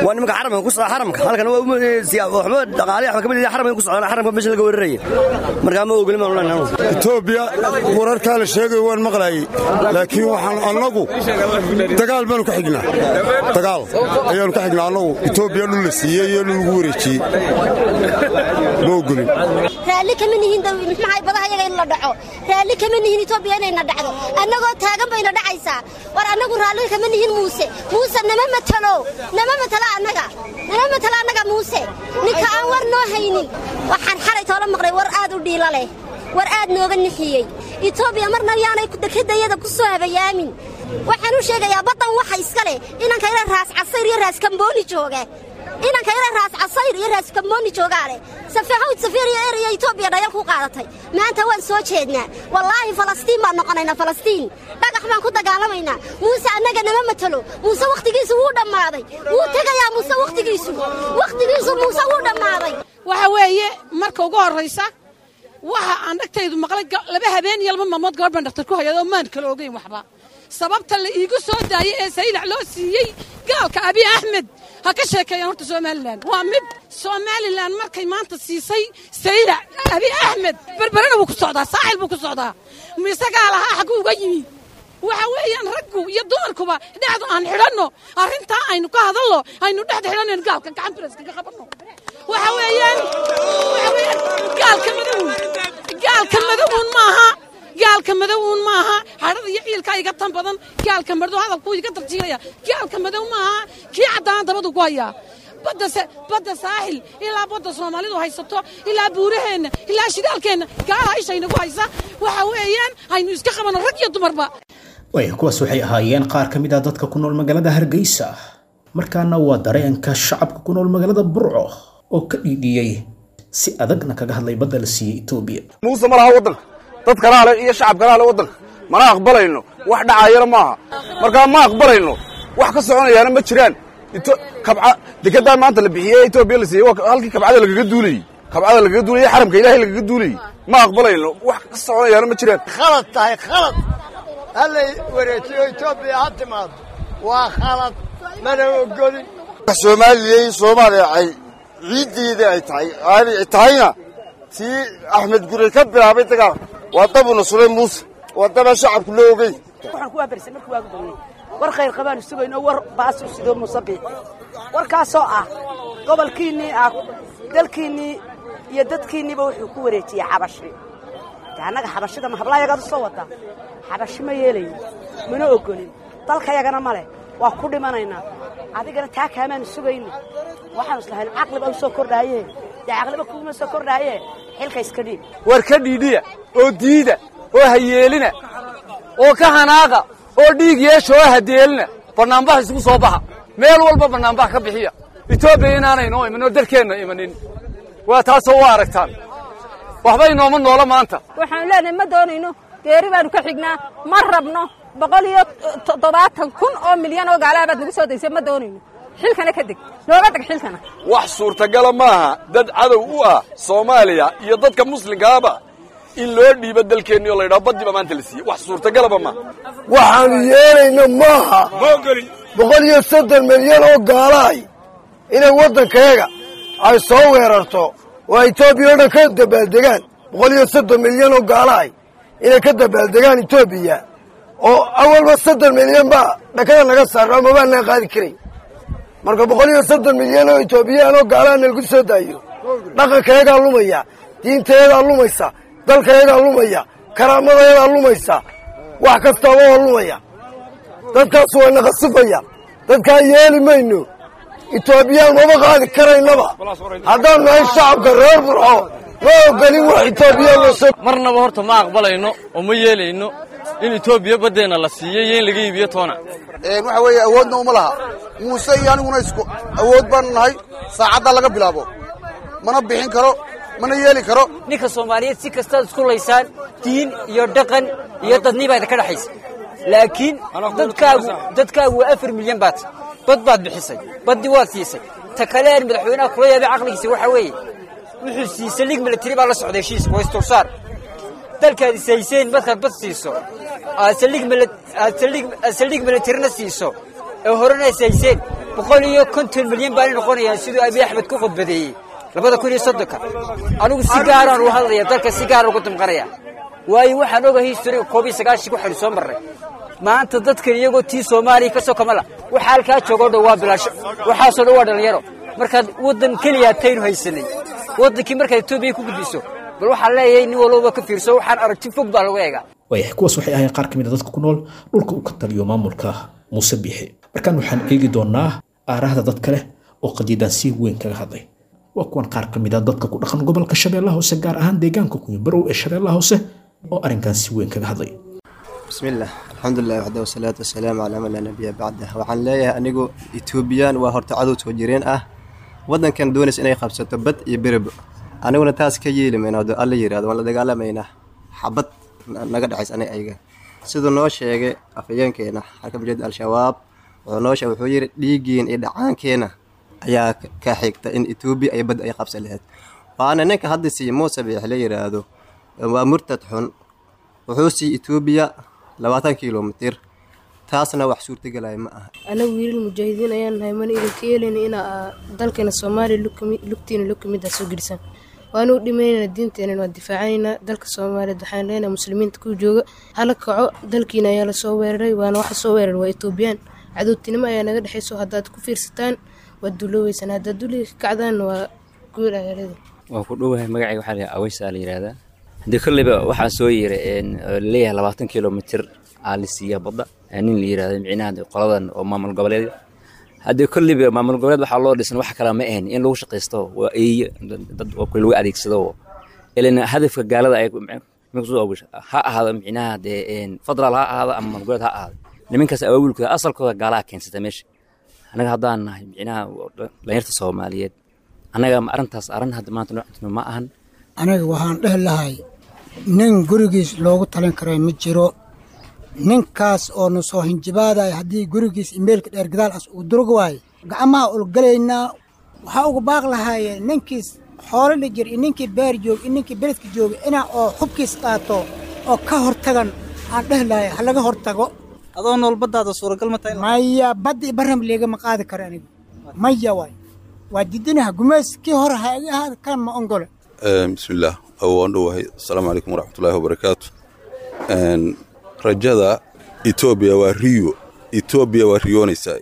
waa nimanka xaramka ku socda. Xaramka halkan waa waxba dhaqaale waxba kamid xaramka ku socdaan, xaramka meesha laga weeraraya. Marka ma ogolin baan leenahay.
Etoobiya wararkaa la sheegayo waan maqlaayey, laakiin waxaan annagu dagaal baanu ka xignaa, dagaal ayaanu ka xignaa annagu. Etoobiya dhul la siiyey iyo dhul lagu wareejiyey ma ogolin.
Raalli kama nihin muxuahay badaha yaga in la dhaco, raalli kama nihin Etoobiya inayna dhacdo. Annagoo taagan bayna dhacaysaa. War annagu raalli kama nihin Muuse. Muuse nama matalo, nama matalo annaga, nama matalo annaga. Muuse ninka aan war noo haynin. Waxaan xalay toola maqlay war aad u dhiila leh, war aad nooga nixiyey. Etoobiya marna yaanay dekedayada ku soo habayaamin. Waxaan u sheegayaa baddan waxa iska leh inanka ila Raas Casayr iyo Raas Kambooni jooga, inanka ila Raas Casayr iyo Raas Kambooni joogaa leh. Safahawd safiir iyo eraya Etoobiya dhayal ku qaadatay. Maanta waan soo jeednaa, wallaahi Falastiin baan noqonaynaa, Falastiin dhagax baan ku dagaalamaynaa. Muuse annaga nama matalo. Muuse wakhtigiisu wuu dhammaaday, wuu tegayaa. Muuse wakhtigiisu, wakhtigiisu Muuse wuu dhammaaday.
Waxa weeye, marka ugu horraysa waxa aan dhagtaydu maqlay, 2 habeen iyo 2 maalmood gabadh baan dhakhtar ku hayado, maan kala ogeyn waxba. Sababta la iigu soo daayey ee Saylac loo siiyey gaalka Abiy Axmed ha ka sheekeeyaan horta. Somalilan waa mid, Somalilan markay maanta siisay Saylac Abiy Axmed, Berberena wuu ku socdaa, Saaxil buu ku socdaa, misagaa lahaa xagguu uga yimi? Waxa weeyaan raggu iyo dumarkuba dhexdu aan xidhanno, arrintaa aynu ka hadallo, aynu dhexda xidhanayno, gaalka gacan biras kaga qabanno. Waxa weeyaan gaalka madowun, gaalka madowun maaha, gaalka madowun maaha. Xadhada iyo ciilkaa iga tan badan. Gaalka madow hadalkuu iga tarjiilaya. Gaalka madow maaha, kii caddaan dabadu ku hayaa. Badda Saaxil ilaa badda Soomaalidu haysato, ilaa buuraheenna, ilaa shidaalkeenna, gaala ishaynagu haysa. Waxa weeyaan aynu iska qabanno rag iyo dumarba.
Waaya, kuwaas waxay ahaayeen qaar ka mid ah dadka ku nool magaalada Hargeysa. Markaana waa dareenka shacabka ku nool magaalada Burco oo ka dhiidhiyey, si adagna kaga hadlay badda la siiyey Etoobiya.
Muuse ma laha waddanka, dad kalaa le iyo shacab kalaa le waddanka. Mana aqbalayno, wax dhacayana maaha. Markaa ma aqbalayno, wax ka soconayaana ma jiraan. Kabca dekedaa maanta la bixiyey Etoobiya la siiyey waa halkii kabcada lagaga duulayey, kabcada lagaga duulayey, xaramka Ilaahay lagaga duulayey. Ma aqbalayno, wax ka soconayaana ma jiraan.
Khalad tahay, khalad. Hallay wareejiyo, Etoobiya ha timaado, waa khalad, mana ogolin.
Soomaaliyey, Soomaaliya ay ciiddeedii ay tahay aanay tahayna tii Axmed Gurey ka bilaabay dagaal waa dabuna sulay. Muuse waa daba shacabku loo ogey.
Waxaan ku waabarisay markii waagu baryay war khayr qabaanu sugayno, war baas u sido Muuse Biixi, warkaasoo ah gobolkiinnii ah, dalkiinnii iyo dadkiinniiba wuxuu ku wareejiyey Xabashi. De annaga Xabashida ma hablaayagaad u soo wadaa? Xabashi ma yeelayo, mana ogolin, dalkayagana ma leh, waa ku dhimanaynaa. Adigana taa kaamaanu sugayno. Waxaanu islahayn caqliba u soo kordhaaye, dee caqliba kuuma soo kordhaaye, xilka iska dhiib.
War ka dhiidhiya oo diida oo hayeelina oo ka hanaaqa oo dhiig yeesha oo hadeelina. Bannaanbax isugu soo baxa, meel walba bannaanbax ka bixiya. Etoobiya inaanay noo iman oo dalkeenna imanin waa taasoo u aragtaan waxba inooma noola maanta.
Waxaanu leenahay ma doonayno, geeri baanu ka xignaa, ma rabno. 170,000 oo milyan oo gaalaha baad nagu soo daysay, ma doonayno. Xilkana ka deg, nooga deg xilkana.
Wax suurtagala maaha dad cadow u ah Soomaaliya iyo dadka muslimkaaba in loo dhiibo dalkeenni oo la yidhaho baddiba maanta la siiyey. Wax suurtagalaba maaha.
Waxaanu yeelayno maaha 130 milyan oo gaalahay inay waddankayaga ay soo weerarto oo Etoobiya o dhan ka dabaaldegaan. 130 milyan oo gaalahay Inay ka dabaaldegaan Etoobiya oo awalba 30 milyan baa dhakada naga saarna, mabaanaan qaadi karay. Marka 130 milyan oo Etoobiyaan oo gaalaha nalagu soo daayo, dhaqankayagaa lumaya, diintayadaa lumaysa, dalkayagaa lumaya, karaamadayadaa lumaysa, wax kastaaba waa lumaya. Dadkaas waa naqasifaya. Dadkaa yeeli mayno. Etoobiyaan maba qaadi karaynaba. Haddaan nahay shacabka reer Burco, ma ogolin wax Etoobiyaan loo soo
Marnaba horta ma aqbalayno oo ma yeelayno in Etoobiya baddeenna la siiyo iyo in laga iibiyo toona.
Waxa weeye, awoodna uma laha Muuse iyo aniguna isku awood baanu nahay. Saacaddaa laga bilaabo mana bixin karo, mana yeeli karo.
Ninka Soomaaliyeed si kastaad isku laysaan, diin iyo dhaqan iyo dadnibaa idinka dhexaysa, laakiin dadkaagu waa 4 milyan. Baad bad baad bixisay, baddii waad siisay. Ta kale aan madaxweynaha kula yaabay caqligiisa waxaa weeye, wuxuu siisay lig military baa la socday heshiiska, waa isdulsaar. Dalkaad isayseen markaad bad siiso, aad saldhig militarina siiso ee horena isayseen, 150 milyan baana noqonayaan, siduu Abiy Axmed ku khudbadeeyey 2030-ka. Anigu si gaaraan u hadlaya, dalka si gaara ugu damqanaya, waayo waxaan ogahay historiga 91 waxaynu soo marray. Maanta dadkan iyagoo tii Soomaaliya ka soo kamala, waxa halkaa joogo dhan waa bilaasho, waxaasoo dhan waa dhalinyaro. Markaad waddan keliya taynu haysanay, waddankii markaad Etoobiya ku gudbiso, bal waxaan leeyahay nin walbaba ka fiirso, waxaan aragti fog baa lagu eegaa.
Waayahay, kuwaas waxay ahayn qaar ka mid a dadka ku nool dhulka uu ka taliyo maamulka Muuse Biixi. Markaan waxaan eegi doonaa aarahda dad kale oo qadiidan si weyn kaga hadlay. Waa kuwan qaar ka mid a dadka ku dhaqan gobolka Shabeellaha Hoose, gaar ahaan deegaanka Kunyibarow ee Shabeellaha Hoose, oo arrinkan si weyn kaga hadlay.
Bismillaah, alxamdulilah waxda, wasalaatu wasalaamu calaa man laa nabiya bacdah. Waxaan leeyahay anigu, Etoobiyaan waa horta cadow soo jireen ah, waddankan doonaysa inay qabsato bad iyo beribo. Aniguna taas ka yeeli mayno. Hadduu Alla yidhahdo, waan la dagaalamaynaa, xabad naga dhexays aniga ayaga. Siduu noo sheegay afhayeenkeena xarka mujahid Al-Shabaab, wuxuu noo sheegay, wuxuu yidhi dhiiggiin iyo dhacaankeena ayaa ka xigta in Etoobiya ay badda ay qabsan lahayd. Waana ninka hadda siiye Muuse Biix la yidhaahdo, waa murtad xun. Wuxuu siiyey Etoobiya 20 kilomitir, taasna wax suurtagelaya ma aha.
Anagu wiilal mujaahidiin ayaan nahay, mana idinka yeelayna inaa dalkeena Soomaaliya lugtiina lug kamid ah soo gelisaan. Waanu u dhimaynayna diinteena, waan difaacanaynaa dalka Soomaaliyeed. Waxaan leenahay muslimiinta ku jooga hala kaco, dalkiina ayaa lasoo weeraray, waana waxa soo weeraray waa Etoobiyaan. Cadowtinimo ayaa naga dhexayso. Haddaad ku fiirsataan waad duulooweysaan, haddaad duliga ka kacdaanna waa guul ayaa leedahay.
Waan ku dhowahay. Magacayga waxaa la Aweysa la yidhaahdaa. Haddii kolleyba waxaa soo yeeray laleeyahay 20 kilomitir aa la siiya badda nin la yidhahdo, micnaha qoladan oo maamul goboleed. Haddii kolleyba maamul goboleed waxaa loo dhisan wax kale ma ahayn in lagu shaqaysto, waa eeye dad oo kale lagu adeegsado. Ilan hadafka gaalada ay ha ahaado, micnaha dee federaal ha ahaado ama maamul goboleed ha ahaado, nimankaas awaawilkooda asalkooda gaalaha keensata meesha. Annaga haddaan nahay micnaha dhalinyarta Soomaaliyeed, annaga arrintaas arrin hadda maanta noo cuntino ma ahan.
Aniga waxaan dhehi lahay, nin gurigiis loogu talin karay ma jiro. Ninkaas oo na soo hinjibaadaya, haddii gurigiis imeelka dheer gadaal as uu durug waayo, gacmaha ulgalaynaa. Waxaa ugu baaq lahaayeen ninkiis xoolo la jir iyo ninkii beer joog iyo ninkii beledka jooga inaa oo xubkiis qaato oo ka hortagan aan dhehi lahay, ha laga hortago.
Adoo nool baddaada suuragal ma tahay?
Maya, badda iyo barram liigama qaadi karo anigu, maya. Waay, waa didinaha gumays kii hore ha iga ahaada, kan ma ongole.
Bismillaah, waan dhowahay. Asalaamu calaykum waraxmatullaahi wabarakaatu. Rajada Etoobiya waa riyo. Etoobiya waa riyoonaysaa,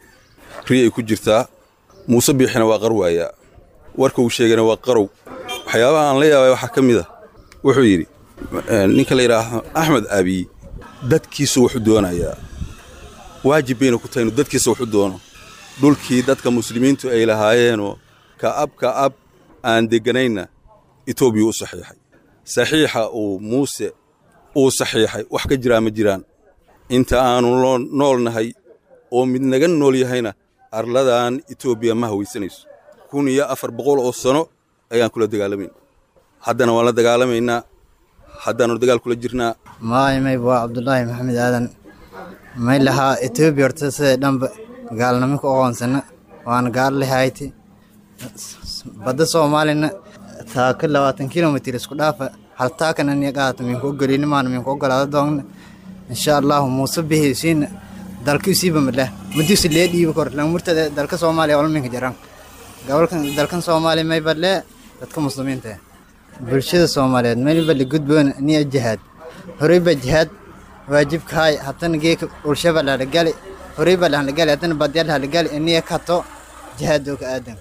riyay ku jirtaa. Muuse Biixina waa qarwaayaa, warka uu sheegana waa qarow. Waxyaabaha aan la yaabay waxaa ka mid a wuxuu yidhi ninka la yidhaahdo Axmed Abiy dadkiisu wuxuu doonayaa, waajib bayna ku tahay inuu dadkiisa wuxu doono. Dhulkii dadka muslimiintu ay lahaayeenoo ka'ab ka'ab aan degganaynna Etoobiya u saxiixay. Saxiixa uu Muuse uu saxiixay wax ka jiraa ma jiraan. Inta aanu nool nahay oo mid naga nool yahayna, arladan Etoobiya ma hawaysanayso. 1400 oo sano ayaan kula dagaalamayn, haddana waan la dagaalamaynaa, haddaanu dagaal kula jirnaa.
Maay waa Cabdulaahi Maxamed Aadan. May lahaa Etoobiya horta sida dhanba gaalnimo ku aqoonsana, waana gaal lehayti. Badda Soomaalina taaka 20 kilomitir isku dhaafa, hal taakana niya qaata minku ogolini, maana minku ogolaada doonna insha Allahu. Muuse bihisiina dalka isiiba madlah madiisi lee dhiibi kor lan murtada dalka Soomaaliya wala minka jaraan gobolkan dalkan Soomaaliya. May badle dadka muslimiinta ah, bulshada Soomaaliyeed may badle gudboon niya jihaad. Horeyba jihaad waajibkahay, hatana geeka dhulshaba lahalagali, horeyba lahalagali, hatana badya lahalagali iniya kato jihaadoo ka aadan.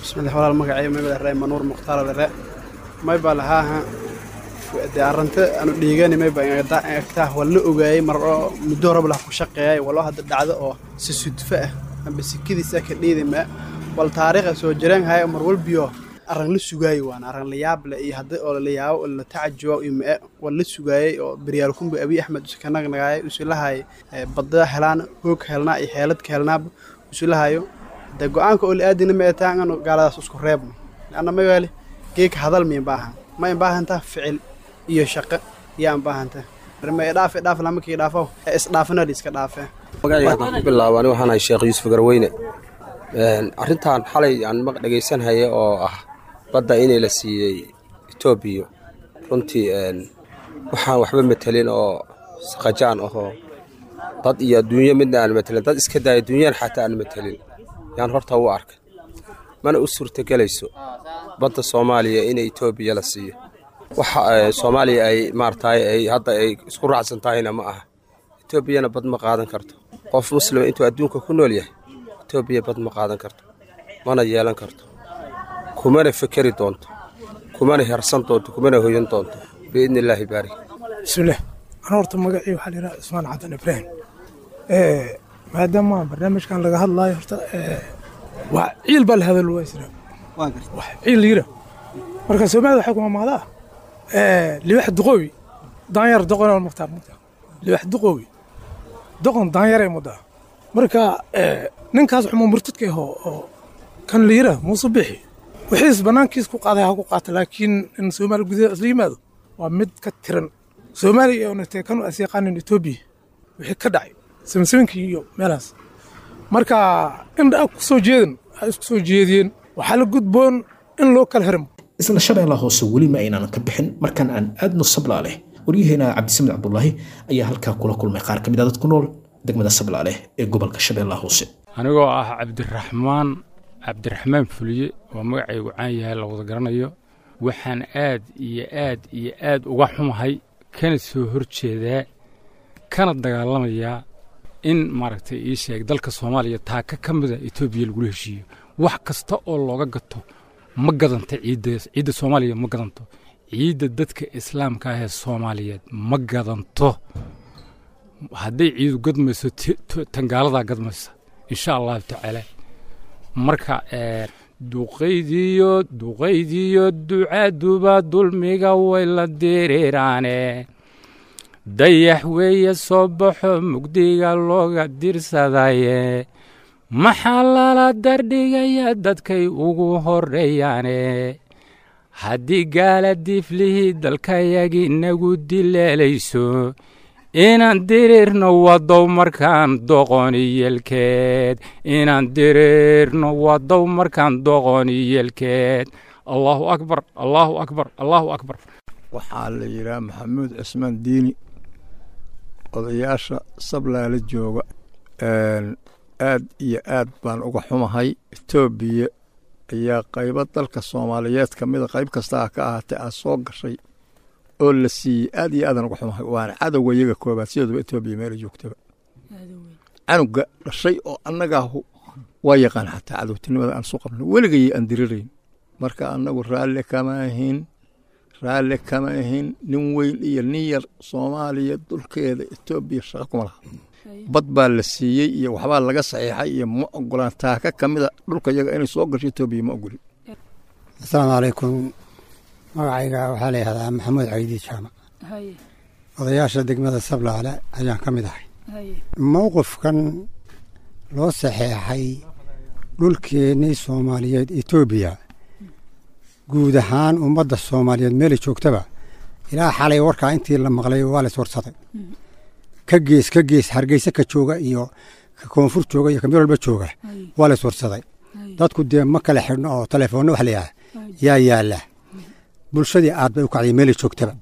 Bismillah, walaal, magacay mayba lare Manuur Mukhtaar lare. Mayba lahaaha dee arrinta aanu dhiigani mayba agtaa waa la ogaayay mar oo muddo horeba lah ku shaqeeyay waloo hadda dhacdo oo si sudfo ah amba sikadiisa ka dhiidima wal taariikha soo jireen haya mar walbiyo arrin la sugaayay, waana arrin la yaab leh iyo hadda oo la yaabo oo la tacajubo iyo mae waa la sugaayay oo beryaal kunba Abiy Axmed isu ka nagnagaayay isu lahaay badda helaan, hoog helnaa iyo xeelad ka helnaaba isu lahayo. Dee go-aanka oo la aadina ma taan anu gaaladaas isku reebno anna ma weeli geeka hadal miyan baahan, ma in baahantaa ficil iyo shaqo yaan baahanta ma dhaaf dhaaf lama kii dhaafo isdhaafana la iska dhaafee.
Magacayga haddaan ku bilaabo, ani waxaan ahay Sheekh Yuusuf Garweyne. Arrintan xalay aan maq dhegaysanhaya oo ah badda inay la siiyey Etoobiya, runtii waxaan waxba matelin oo saqajaan ahoo dad iyo adduunyo midna aan matelin, dad iska daaya adduunyan xataa aan matelin yaan horta u arkay. Mana u suurtagelayso badda Soomaaliya in Etoobiya la siiyo. Waxa Soomaaliya ay maaragtay ay hadda ay isku raacsan tahayna ma aha. Etoobiyana bad ma qaadan karto. Qof muslima intuu adduunka ku nool yahay Etoobiya bad ma qaadan karto, mana yeelan karto, kumana fekeri doonto, kumana hersan doonto, kumana hoyan doonto biidni illaahi baari.
Bismillaah, ana horta magacii waxaa la yidhaha Cusmaan Cadan Ibraahim. Maadaama barnaamijkan laga hadlaayo, horta waa ciil baa la hadal waa isra wax ciil la yidhaah. Marka Soomaalida waxay ku mamaadaa libax duqoowi daanyar doqon oo muqtaa muqtaa libax duqoowi doqon daanyaray mudaa. Marka ninkaas xuma murtadka ahoo oo kan la yidhaah Muuse Bixi wixiis bannaankiis ku qaaday ha ku qaata, laakiin in Soomaaliya gudaheeda isla yimaado waa mid ka tiran Soomaaliya oo natee kan as yaqaanin Etoobiya wixii ka dhacay samsaminkii iyo meelahaas. Marka indha ku soo jeedin ay isku soo jeediyeen, waxaa la gudboon in loo kala xirmo.
Isla Shabeellaha Hoose weli ma aynaan ka bixin, markaan aan aadno Sablaaleh. Waryaheena Cabdisamed Cabdulaahi ayaa halkaa kula kulmay qaar ka mid ah dad ku nool degmada Sablaaleh ee gobolka Shabeellaha Hoose.
Anigoo ah Cabdiraxmaan Cabdiraxmaan Fuliye oo magacaygu caan yahay, la wada garanayo, waxaan aad iyo aad iyo aad uga xumahay kana soo horjeedaa kana dagaalamayaa in maaragtay ii sheeg dalka Soomaaliya taaka ka mida Etoobiya lagula heshiiyo. Wax kasta oo looga gato ma gadanta ciidda, ciidda Soomaaliya ma gadanto, ciidda dadka islaamka ah ee Soomaaliyeed ma gadanto. Hadday ciidu gadmayso, tangaaladaa gadmaysa insha Allahu tacaala. Marka duqaydiyo duqaydiyo ducaaduba dulmiga way la diriiraane, dayax weeye soo baxo mugdiga looga dirsadaye, maxaa lala dardhigaya dadkay ugu horreeyaane? Haddii gaala diiflihii dalkayagii nagu dileelayso, inaan diriirno wadow markaan doqoniyelkeed, inaan diriirno wadow markaan doqoniyelkeed. Allahu akbar, Allahu akbar, Allahu akbar.
Waxaa la yidhaha Maxamuud Cismaan Diini, odayaasha Sablaala jooga. Aad iyo aad baan uga xumahay. Etoobiya ayaa qaybo dalka Soomaaliyeed ka mida, qayb kasta ka ahaatee, aa soo gashay oo la siiyey. Aad iyo aadaan uga xumahay, waana cadowga iyaga koobaad sideeduba. Etoobiya meela joogtaba canuga dhashay oo annagaahu waa yaqaan xataa cadowtinimada aan soo qabno weligay aan dirirayn. Marka annagu raalli kama ahin, raalli kama ahin. Nin weyn iyo nin yar Soomaaliya dulkeeda Etoobiya shaqo kuma laha. Bad baa la siiyey iyo waxbaa laga saxiixay iyo ma ogolaan. Taaka ka mida dhulka iyaga inay soo gasho Etoobiya ma ogolin.
Asalaamu calaykum. Magacayga waxaa la yihahdaa Maxamuud Caydi Jaamac. Odayaasha degmada Sablaale ayaan ka mid ahay. Mowqifkan loo saxeexay dhulkeennii Soomaaliyeed Etoobiya, guud ahaan ummadda Soomaaliyeed meelay joogtaba ilaa xalay warkaa intii la maqlay waa la iswarsaday, ka gees ka gees, Hargeysa ka jooga iyo ka koonfur jooga iyo ka meel walba jooga waa la iswarsaday. Dadku dee ma kala xidhno oo telefoonna wax la yidhaha yaa yaalla. Bulshadii aad bay u kacday meelay joogtaba,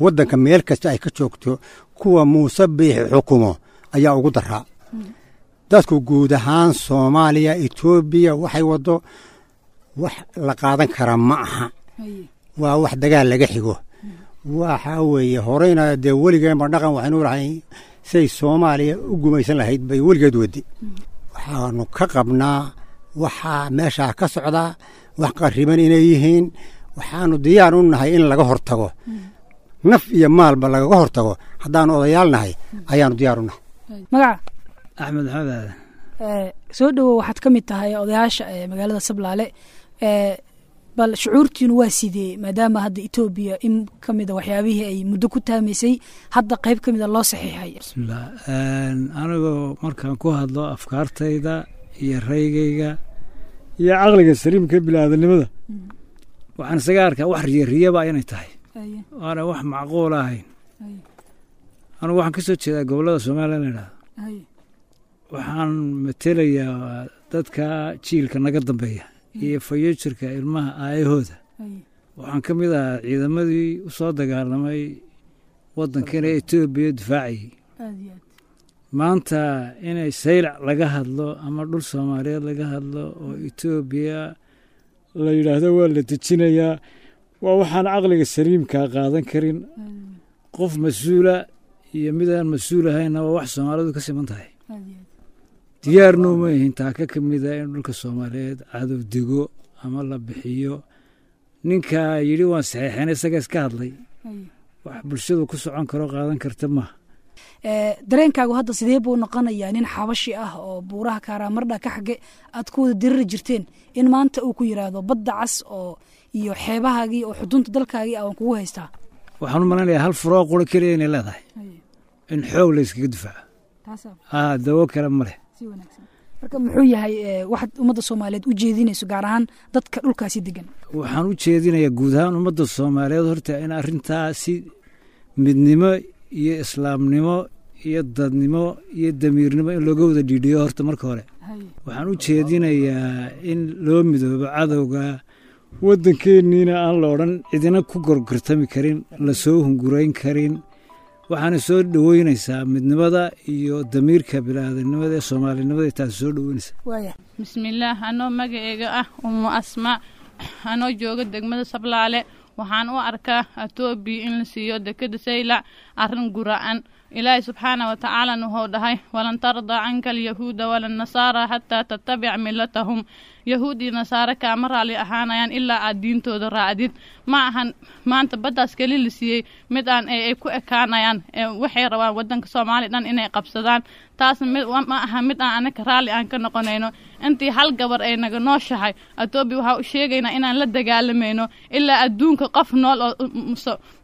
waddanka meel kasta ay ka joogto. Kuwa Muuse Biixi xukumo ayaa ugu daraa. Dadku guud ahaan Soomaaliya Etoobiya waxay waddo wax la qaadan karaa ma aha, waa wax dagaal laga xigo. Waxaa weeye horeyna dee weligeenba dhaqan waxaynu lahayn say Soomaaliya u gumaysan lahayd bay weligeed wadi. Waxaanu ka qabnaa waxaa meeshaa ka socdaa wax qarriban inay yihiin. Waxaanu diyaar u nahay in laga hortago, naf iyo maalba lagaga hortago. Haddaanu odayaal nahay ayaanu diyaar u nahay.
Magaca?
Axmed Maxamed Aadan.
Soo dhowow, waxaad ka mid tahay odayaasha magaalada Sablaale. Bal shucuurtiinu waa sidee maadaama hadda Etoobiya in ka mida waxyaabihii ay muddo ku taamaysay hadda qayb ka mida loo saxiixay?
Bismillah, anigoo markaan ku hadlo afkaartayda iyo raygayga iyo caqliga saliimka biniaadanimada, waxaan isaga arkaa wax riya riyaba inay tahay, waana wax macquul ahayn. Anugu waxaan ka soo jeedaa gobollada Soomaaliya la idhahdo. Waxaan matelayaa dadka jiilka naga dambeeya iyo fayojirka ilmaha aayahooda. Waxaan ka mid ahaa ciidamadii u soo dagaalamay waddankana Etoobiya difaacayay. Maanta inay Saylac laga hadlo ama dhul Soomaaliyeed laga hadlo oo Etoobiya la yidhaahdo waa la dejinayaa, waa waxaan caqliga saliimkaa qaadan karin. Qof mas-uula iyo mid aan mas-uul ahaynna waa wax Soomaalidu ka siman tahay. Diyaarna uma yihin taaka ka mida in dhulka Soomaaliyeed cadow dego ama la bixiyo. Ninka yidhi waan saxiixeen isaga iska hadlay, wax bulshadu ku socon karo qaadan karta maaha.
Dareenkaagu hadda sidee buu noqonayaa nin xabashi ah oo buuraha Kaaraamardha ka xage aad ku wada diriri jirteen in maanta uu ku yidhaahdo badda cas oo iyo xeebahaagii oo xudunta dalkaagii ah waan kugu haystaa?
Waxaan u malaynayaa hal furoo qura keliya inay leedahay, in xoog la iskaga difaaco, dawo kale ma leh.
Marka muxuu yahay waxaad ummadda Soomaaliyeed u jeedinayso, gaar ahaan dadka dhulkaasi degan?
Waxaan u jeedinayaa guud ahaan ummadda Soomaaliyeed horta in arrintaa si midnimo iyo islaamnimo iyo dadnimo iyo damiirnimo in looga wada dhiidhiyo horta marka hore. Waxaan u jeedinayaa in loo midoobo cadowga waddankeenniina, aan la odhan cidina ku gorgortami karin, lasoo hungurayn karin. Waxaana soo dhoweynaysaa midnimada iyo damiirka biniaadanimada ee soomaalinimada, taasi soo dhoweynaysaa.
Bismillaah, anoo magaceyga ah Umu Asma, anoo jooga degmada Sablaale, waxaan u arkaa Etoobiya in la siiyo dekeda Saylac arrin gura'an. Ilaahay subxaana wa tacaalana wuxuu dhahay: "Walan tardaa canka alyahuuda walannasaara xataa tattabic millatahum." Yahuud iyo nasaare kaama raalli ahaanayaan ilaa aad diintooda raacdid. Ma ahan maanta baddaas keli la siiyey mid aan ay ku ekaanayaan. Waxay rabaan waddanka Soomaaliya dhan inay qabsadaan. Taasna ma aha mid aan anaka raalli aan ka noqonayno. Intii hal gabar ay naga nooshahay Etoobiya, waxaa u sheegaynaa inaan la dagaalamayno ilaa adduunka qof nool oo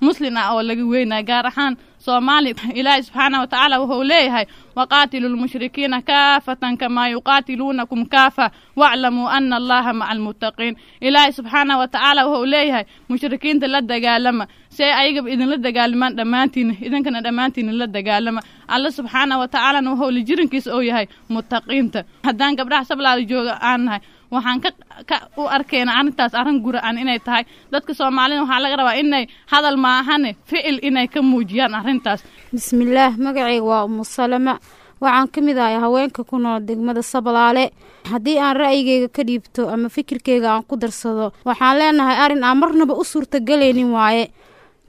muslin ah oo laga weynayo, gaar ahaan Soomaaliya. Ilaahay subxaana wa tacaala wuxuu leeyahay: "Waqaatilu lmushrikiina kaafatan kamaa yuqaatiluunakum kaafa waclamuu ana Allaha maca almuttaqiin." Ilaahay subxaana wa tacaala wuxuu leeyahay: mushrikiinta la dagaalama si ay ayagaba idinla dagaalamaan dhammaantiina, idinkana dhammaantiina la dagaalama. Alla subxaana wa tacaalana wuxuu la jirinkiisa oo yahay muttaqiinta. Haddaan gabdhaha Sablaala jooga aan nahay, waxaan ka u arkayna arrintaas arrin gura-an inay tahay. Dadka Soomaalida waxaa laga rabaa inay hadal maahane ficil inay ka muujiyaan arrintaas.
Bismillaah, magacayga waa Umu Salama. Waxaan ka mid ahay haweenka ku nool degmada Sablaale. Haddii aan ra'yigayga ka dhiibto ama fikirkayga aan ku darsado, waxaan leenahay arrin aan marnaba u suurtagelaynin waaye.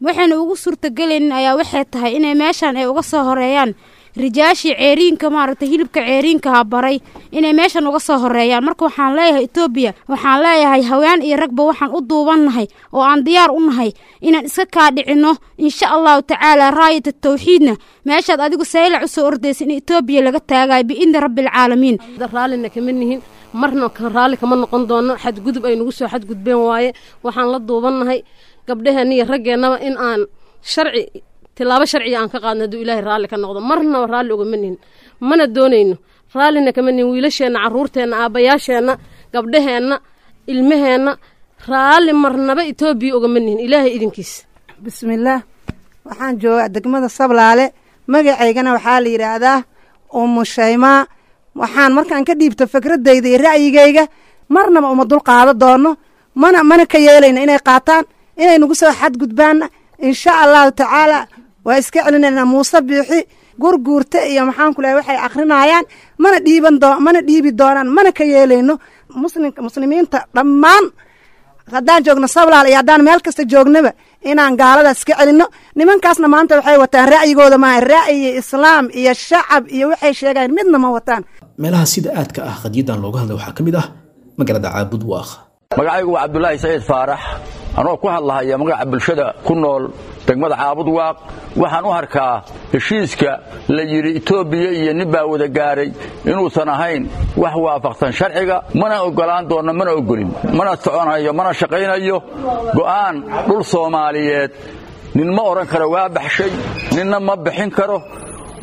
Waxayna ugu suurtagelaynin ayaa waxay tahay inay meeshan ay uga soo horeeyaan rijaashii ceeriinka, maaragtay, hilibka ceeriinkaha baray inay meeshan uga soo horeeyaan. Marka waxaan leeyahay Etoobiya, waxaan leeyahay haween iyo ragba waxaan u duubannahay oo aan diyaar u nahay inaan iska kaadhicinno insha Allahu tacaala. Raayata tawxiidna meeshaad adigu Saylac u soo ordaysa in Etoobiya laga taagayo biidni rabbilcaalamiin.
Raallina kama nihin, marna raalli kama noqon doono. Xadgudub ay nagu soo xadgudbeen waaye. Waxaan la duubannahay gabdhaheenna iyo raggeennaba in aan sharci tilaabo sharciga aan ka qaadno hadduu Ilaahay raalli ka noqdo. Marnaba raalli ugama nihin, mana doonayno, raallina kama nihin. Wiilasheenna, carruurteenna, aabbayaasheenna, gabdhaheenna, ilmaheenna, raalli marnaba Etoobiya ugama nihin, Ilaahay idinkiis.
Bismillaah, waxaan joogaa degmada Sablaale. Magacaygana waxaa la yidhaahdaa Umu Shaymaa. Waxaan markaan ka dhiibto fikradayda iyo ra'yigayga, marnaba uma dul qaado doono, mana ka yeelayna inay qaataan, inay nagu soo xadgudbaanna. Insha Allahu tacaala waa iska celinaynaa Muuse Biixi, Gurguurta iyo maxaan ku lehay waxay akrinayaan. Mana dhiiban doo, mana dhiibi doonaan, mana ka yeelayno. Muslimka, muslimiinta dhammaan Haddaan joogno Sablaal iyo haddaan meel kasta joognaba, inaan gaaladaas ka celinno. Nimankaasna maanta waxay wataan ra'yigooda maaha, ra'yi islaam iyo shacab iyo waxay sheegayan midna ma wataan.
Meelaha sida aadka ah qadiyadan looga hadlay waxaa ka mid ah magaalada Caabud Waaq.
Magacaygu waa Cabdulaahi Saciid Faarax. Anoo ku hadlahaya magaca bulshada ku nool degmada Caabud Waaq, waxaan u arkaa heshiiska la yidhi Etoobiya iyo nin baa wada gaaray inuusan ahayn wax waafaqsan sharciga. Mana oggolaan doonno, mana oggolin, mana soconayo, mana shaqaynayo go'aan dhul Soomaaliyeed. Nin ma odhan karo waa baxshay, ninna ma bixin karo.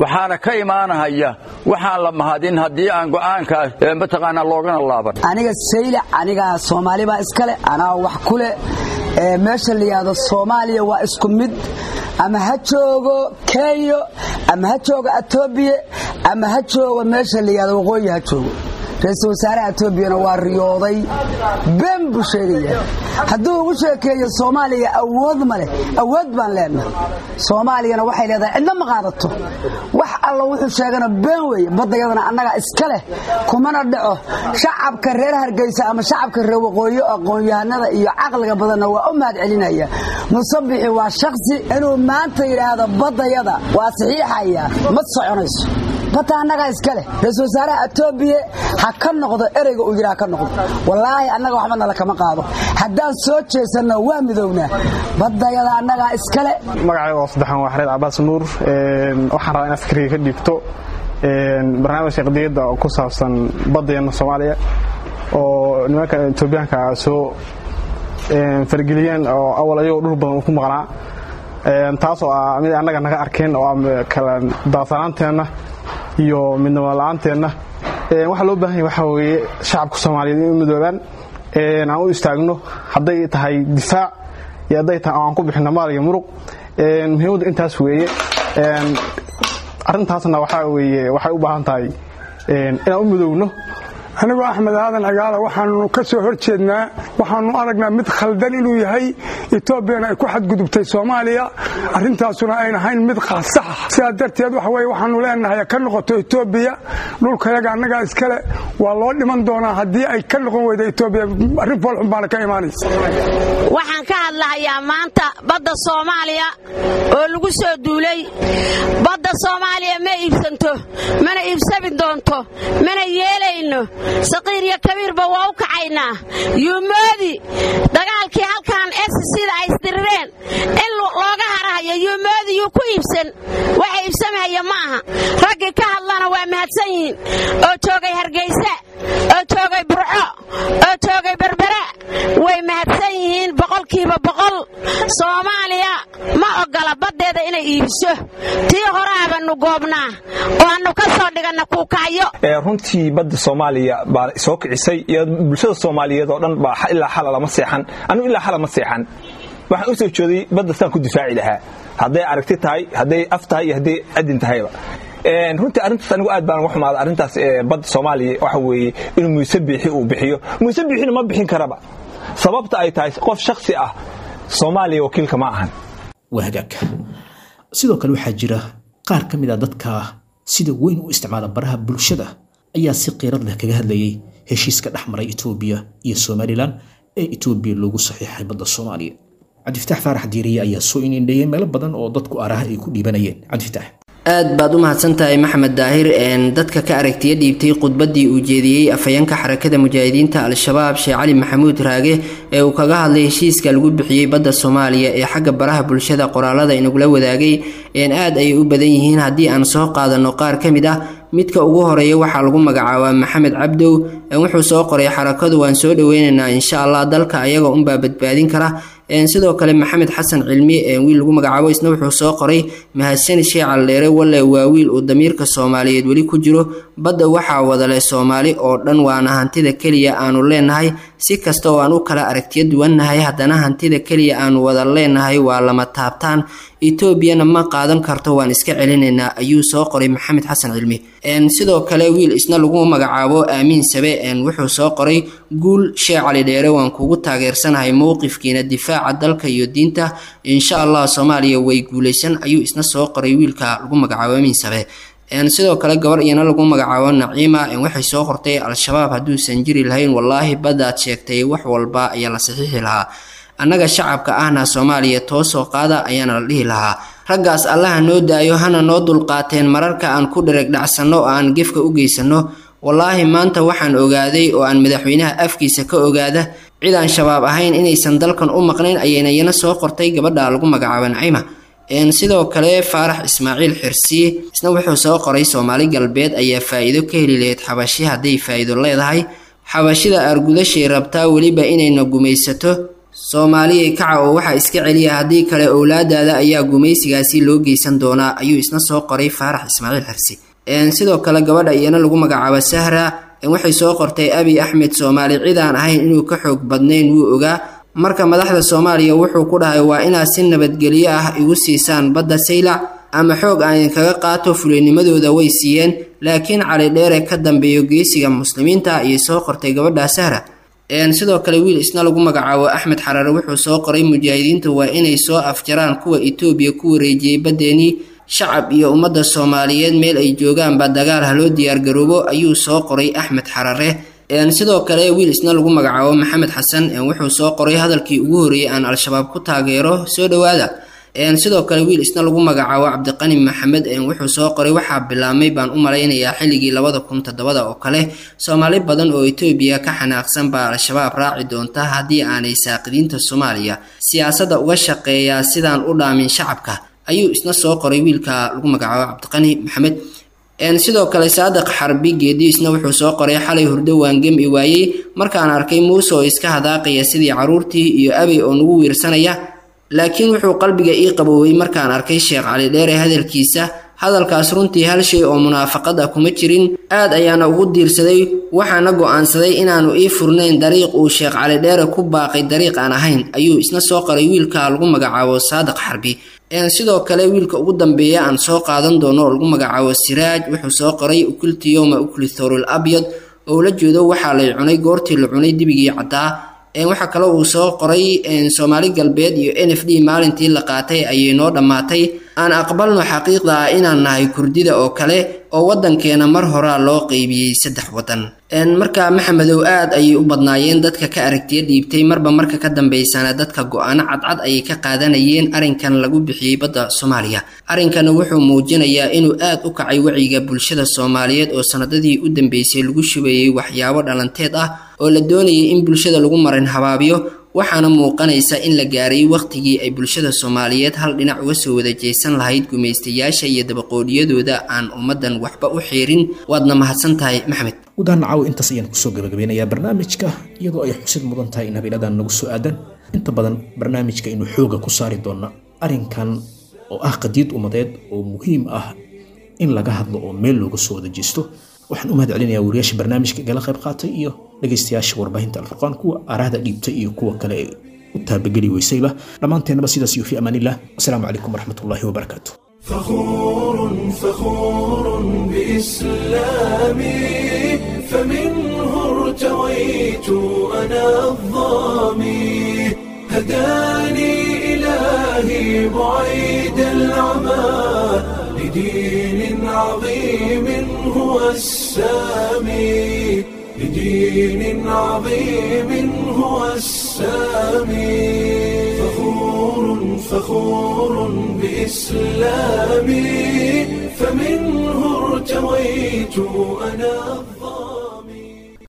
Waxaana ka imaanahaya waxaan la mahadin haddii aan go'aankaas mataqaanaa loogana laaban.
Aniga Saylac, anigaa Soomaali baa iskale, anaa wax ku leh. Meesha la yidhaahdo Soomaaliya waa isku mid, ama ha joogo Kenya, ama ha joogo Etoobiya, ama ha joogo meesha la yidhahdo waqooyi ha joogo. Ra-iisul wasaaraha Etoobiyana waa riyooday, been buu sheegaya hadduu ugu sheekeeyo Soomaaliya awood ma leh. Awood baan leenahay, Soomaaliyana waxay leedahay cidna ma qaadato. Wax alla wuxuu sheegana been weeye. Baddayadana annagaa iska leh, kumana dhaco. Shacabka reer Hargeysa ama shacabka reer waqooyi, aqoon-yahanada iyo caqliga badanna waa u mahad celinaya. Musabixi waa shaksi inuu maanta yidhaahdo baddayada waa saxiixaya, ma soconayso. Badda annagaa iska leh. Ra-iisul wasaaraha Etoobiya ha ka noqdo ereyga uu yidhi, ha ka noqdo. Wallaahi annaga waxba nala kama qaado. Haddaan soo jeesanno waa midownaa. Baddayada annagaa iska leh.
Magacayga oo saddexan waa Xareed Cabaas Nuur. Waxaan rabaa inaad fikriga ka dhiibto barnaamijka qadiyadda oo ku saabsan baddeena Soomaaliya oo nimanka Etoobiyaanka soo fargeliyeen, oo awal ayagoo dhul badan ku maqnaa, taasoo ah mid annaga naga arkeen oo kala daasanaanteenna iyo midnimo la-aanteenna. Waxaa loo baahan yahay waxaa weeye shacabka Soomaaliyeed in u midoobaan, aan u istaagno, hadday tahay difaac iyo hadday tahay aan ku bixino maal iyo muruq. Muhiimaddu intaas weeye. Arrintaasna waxaa weeye waxay u baahan tahay inaan u midoowno.
Anigoo Axmed Aadan Cigaala, waxaanu ka soo hor jeednaa, waxaanu aragnaa mid khaldan inuu yahay, Etoobiyana ay ku xadgudubtay Soomaaliya, arrintaasuna ayn ahayn mid saxa. Sidaa darteed waxa weye waxaanu leenahay ka noqoto Etoobiya, dhulkayaga annagaa iskale. Waa loo dhiman doonaa haddii ay ka noqon weyda Etoobiya. Arrin foolxun baana ka imaanaysa.
Waxaan ka hadlahayaa maanta badda Soomaaliya oo lagu soo duulay. Badda Soomaaliya ma iibsanto, mana iibsami doonto, mana yeelayno. Saqiir iyo kabiirba waa u kacaynaa. Yuumoodi dagaalkii halkan sida ay isdirireen in looga harahayo, yuumoodi yuu ku iibsan. Waxa iibsamahaya ma aha. Raggii ka hadlana waa mahadsan yihiin, oo joogay Hargeysa, oo joogay Burco, oo joogay Berbera, way mahadsan yihiin 100%. Soomaaliya ma ogola baddeeda inay iibiso. Tii horaabanu goobnaa oo annu ka soo dhiganna kuukacyo.
Runtii badda Soomaaliya baa soo kicisay iyo bulshada Soomaaliyeed oo dhan baa ilaa xala lama seexan. Anigu ilaa xala ma seexan. Waxaan u soo jeeday badda saan ku difaaci lahaa, hadday aragti tahay, hadday af tahay iyo hadday adin tahayba. Runtii arrintaas anigu aad baan uga xumaaday arrintaas. Badda Soomaaliya waxa weeye inuu Muuse Biixi uu bixiyo. Muuse Biixina ma bixin karaba, sababta ay tahay qof shakhsi ah Soomaaliya wakiilka ma ahan.
Waa hagaag. Sidoo kale waxaa jira qaar ka mid a dadka sida weyn u isticmaala baraha bulshada ayaa si qiirad leh kaga hadlayay heshiiska dhex maray Etoobiya iyo Somalilan ee Etoobiya loogu saxiixay badda Soomaaliya. Cabdifataax Faarax Diiriye ayaa soo inindheeyey meelo badan oo dadku aaraha ay ku dhiibanayeen. Cabdifitaax.
Aad baad u mahadsantahay, Maxamed Daahir. Dadka ka aragtiya dhiibtay khudbaddii uu jeediyey afhayeenka Xarakada Mujaahidiinta Al-Shabaab, Sheekh Cali Maxamuud Raage, ee uu kaga hadlay heshiiska lagu bixiyey badda Soomaaliya ee xagga baraha bulshada qoraalada inagula wadaagay aad ayay u badan yihiin. Haddii aan soo qaadano qaar ka mid ah, midka ugu horeeya waxaa lagu magacaabaa Maxamed Cabdow. Wuxuu soo qoray: "Xarakadu waan soo dhaweynaynaa, insha Allah dalka ayaga unbaa badbaadin kara." Sidoo kale Maxamed Xasan Cilmi, wiil lagu magacaabo, isna wuxuu soo qoray: "Mahadsani Sheekh Caldheere, walle waa wiil uu damiirka Soomaaliyeed weli ku jiro. Badda waxaa wadale Soomaali oo dhan, waana hantida keliya aanu leenahay. Si kasta oo aan u kala aragtiyo duwannahay, haddana hantida keliya aanu wada leenahay waa lama taabtaan. Etoobiyana ma qaadan karto, waan iska celinaynaa," ayuu soo qoray Maxamed Xasan Cilmi. Sidoo kale wiil isna lagu magacaabo Aamiin Sabe wuxuu soo qoray: "Guul Sheekh Cali Dheere, waan kugu taageersanahay mowqifkiina difaaca dalka iyo diinta. Insha Allah Soomaaliya way guuleysan," ayuu isna soo qoray wiilka lagu magacaabo Aamiin Sabe. Sidoo kale gabar iyana lagu magacaabo Naciima waxay soo qortay: Al-Shabaab hadduusan jiri lahayn, wallaahi baddaad sheegtay wax walba ayaa la saxiixi lahaa, annaga shacabka ahna Soomaaliya toosoo qaada ayaana la dhihi lahaa. Raggaas Allaha noo daayo, hana noo dulqaateen mararka aan ku dhereg dhacsanno oo aan gefka u geysanno. Wallaahi maanta waxaan ogaaday oo aan madaxweynaha afkiisa ka ogaada cid aan Shabaab ahayn inaysan dalkan u maqnayn, ayayna iyana soo qortay gabadha lagu magacaabo Naciima. Sidoo kale Faarax Ismaaciil Xirsi isna wuxuu soo qoray: Soomaali Galbeed ayaa faa'iido ka heli lahayd Xabashi hadday faa'iido leedahay. Xabashida argudashay rabtaa weliba inayna gumaysato. Soomaaliyay kaca oo waxaa iska celiya, haddii kale owlaadaada ayaa gumaysigaasi loo geysan doonaa, ayuu isna soo qoray Faarax Ismaaciil Xirsi. Sidoo kale gabadha iyana lagu magacaabo Sahra waxay soo qortay: Abi Axmed Soomaali cid aan ahayn inuu ka xoog badnayn wuu ogaa. Marka madaxda Soomaaliya wuxuu ku dhahay: waa inaad si nabadgelyo ah igu siisaan badda Saylac ama xoog aan idinkaga qaato. Fulaynimadooda way siiyeen, laakiin Cali Dheere ka dambeeyo geesiga muslimiinta, ayay soo qortay gabadha Sahra. Sidoo kale wiil isna lagu magacaabo Axmed Xarare wuxuu soo qoray: mujaahidiinta waa inay soo afjaraan kuwa Itoobiya ku wareejiyey baddeenii. Shacab iyo ummadda Soomaaliyeed meel ay joogaanba dagaal haloo diyaargaroobo, ayuu soo qoray Axmed Xarare. Sidoo kale wiil isna lagu magacaabo Maxamed Xasan wuxuu soo qoray: hadalkii ugu horreeyey aan Al-Shabaab ku taageero, soo dhowaada. Sidoo kale wiil isna lagu magacaabo Cabdiqani Maxamed wuxuu soo qoray: waxaa bilaabmay baan u malaynayaa xilligii 2007 oo kale, Soomaali badan oo Itoobiya ka xanaaqsan baa Al-Shabaab raaci doonta haddii aanay saaqidiinta Soomaaliya siyaasadda uga shaqeeyaa sidaan u dhaamin shacabka, ayuu isna soo qoray wiilka lagu magacaabo Cabdiqani Maxamed. Sidoo kale Saadiq Xarbi Geedi isna wuxuu soo qoray: xalay hurdo waan gemi waayey markaan arkay Muuse oo iska hadaaqaya sidii caruurtii iyo Abey oo nagu wiirsanaya, laakiin wuxuu qalbiga ii qaboowey markaan arkay Sheekh Cali Dheere hadalkiisa. Hadalkaas runtii hal shay oo munaafaqad ah kuma jirin, aad ayaana ugu diirsaday, waxaana go'aansaday inaanu ii furnayn dariiq uu Sheekh Cali Dheere ku baaqay dariiq aan ahayn, ayuu isna soo qoray wiilka lagu magacaabo Saadiq Xarbi. Sidoo kale wiilka ugu dambeeya aan soo qaadan doono oo lagu magacaabo Siraaj wuxuu soo qoray: ukulti yowma ukli thorul abyad, oo la jeedo waxaa lay cunay goortii la cunay dibigii caddaa. Waxaa kaloo uu soo qoray: Soomaali Galbeed iyo NFD maalintii la qaatay ayay noo dhammaatay. Aan aqbalno xaqiiqda ah inaan nahay Kurdida oo kale oo waddankeena mar horaa loo qeybiyey 3 waddan. Marka Maxamedow, aad ayay u badnaayeen dadka ka aragtiya dhiibtay. Marba marka ka dambeysana dadka go-aano cadcad ayay ka qaadanayeen arrinkan lagu bixiyey badda Soomaaliya. Arrinkana wuxuu muujinayaa inuu aad u kacay wacyiga bulshada Soomaaliyeed oo sanadadii u dambeysay lagu shubayey waxyaabo dhalanteed ah oo la doonayay in bulshada lagu marin habaabiyo. Waxaana muuqanaysa in la gaaray wakhtigii ay bulshada Soomaaliyeed hal dhinac uga soo wada jeesan lahayd gumaystayaasha iyo dabaqoodhiyadooda aan ummaddan waxba u xiirin. Waadna mahadsan tahay, Maxamed.
Gudahaan caawa intaas ayaan kusoo gabagabeynayaa barnaamijka, iyadoo ay xusid mudan tahay in habeenadan nagu soo aadan inta badan barnaamijka inuu xooga ku saari doona arrinkan oo ah qadiid ummadeed oo muhiim ah in laga hadlo oo meel looga soo wada jeesto. Waxaan u mahad celinayaa wariyaasha barnaamijka igala qayb qaatay iyo dhegaystayaasha warbaahinta Alfurqaan, kuwa aaraahda dhiibtay iyo kuwa kale ee u taabageli weysayba. Dhammaanteennaba sidaas iyo fi amaanillah. Asalaamu calaykum waraxmatullaahi wabarakaatu.
فخور فخور بإسلامي، فمنه ارتويت أنا الظامي، هداني إلهي بعيد العمى لدين عظيم هو السامي، لدين عظيم هو السامي. فخور فخور بإسلامي، فمنه ارتويت أنا الظامي.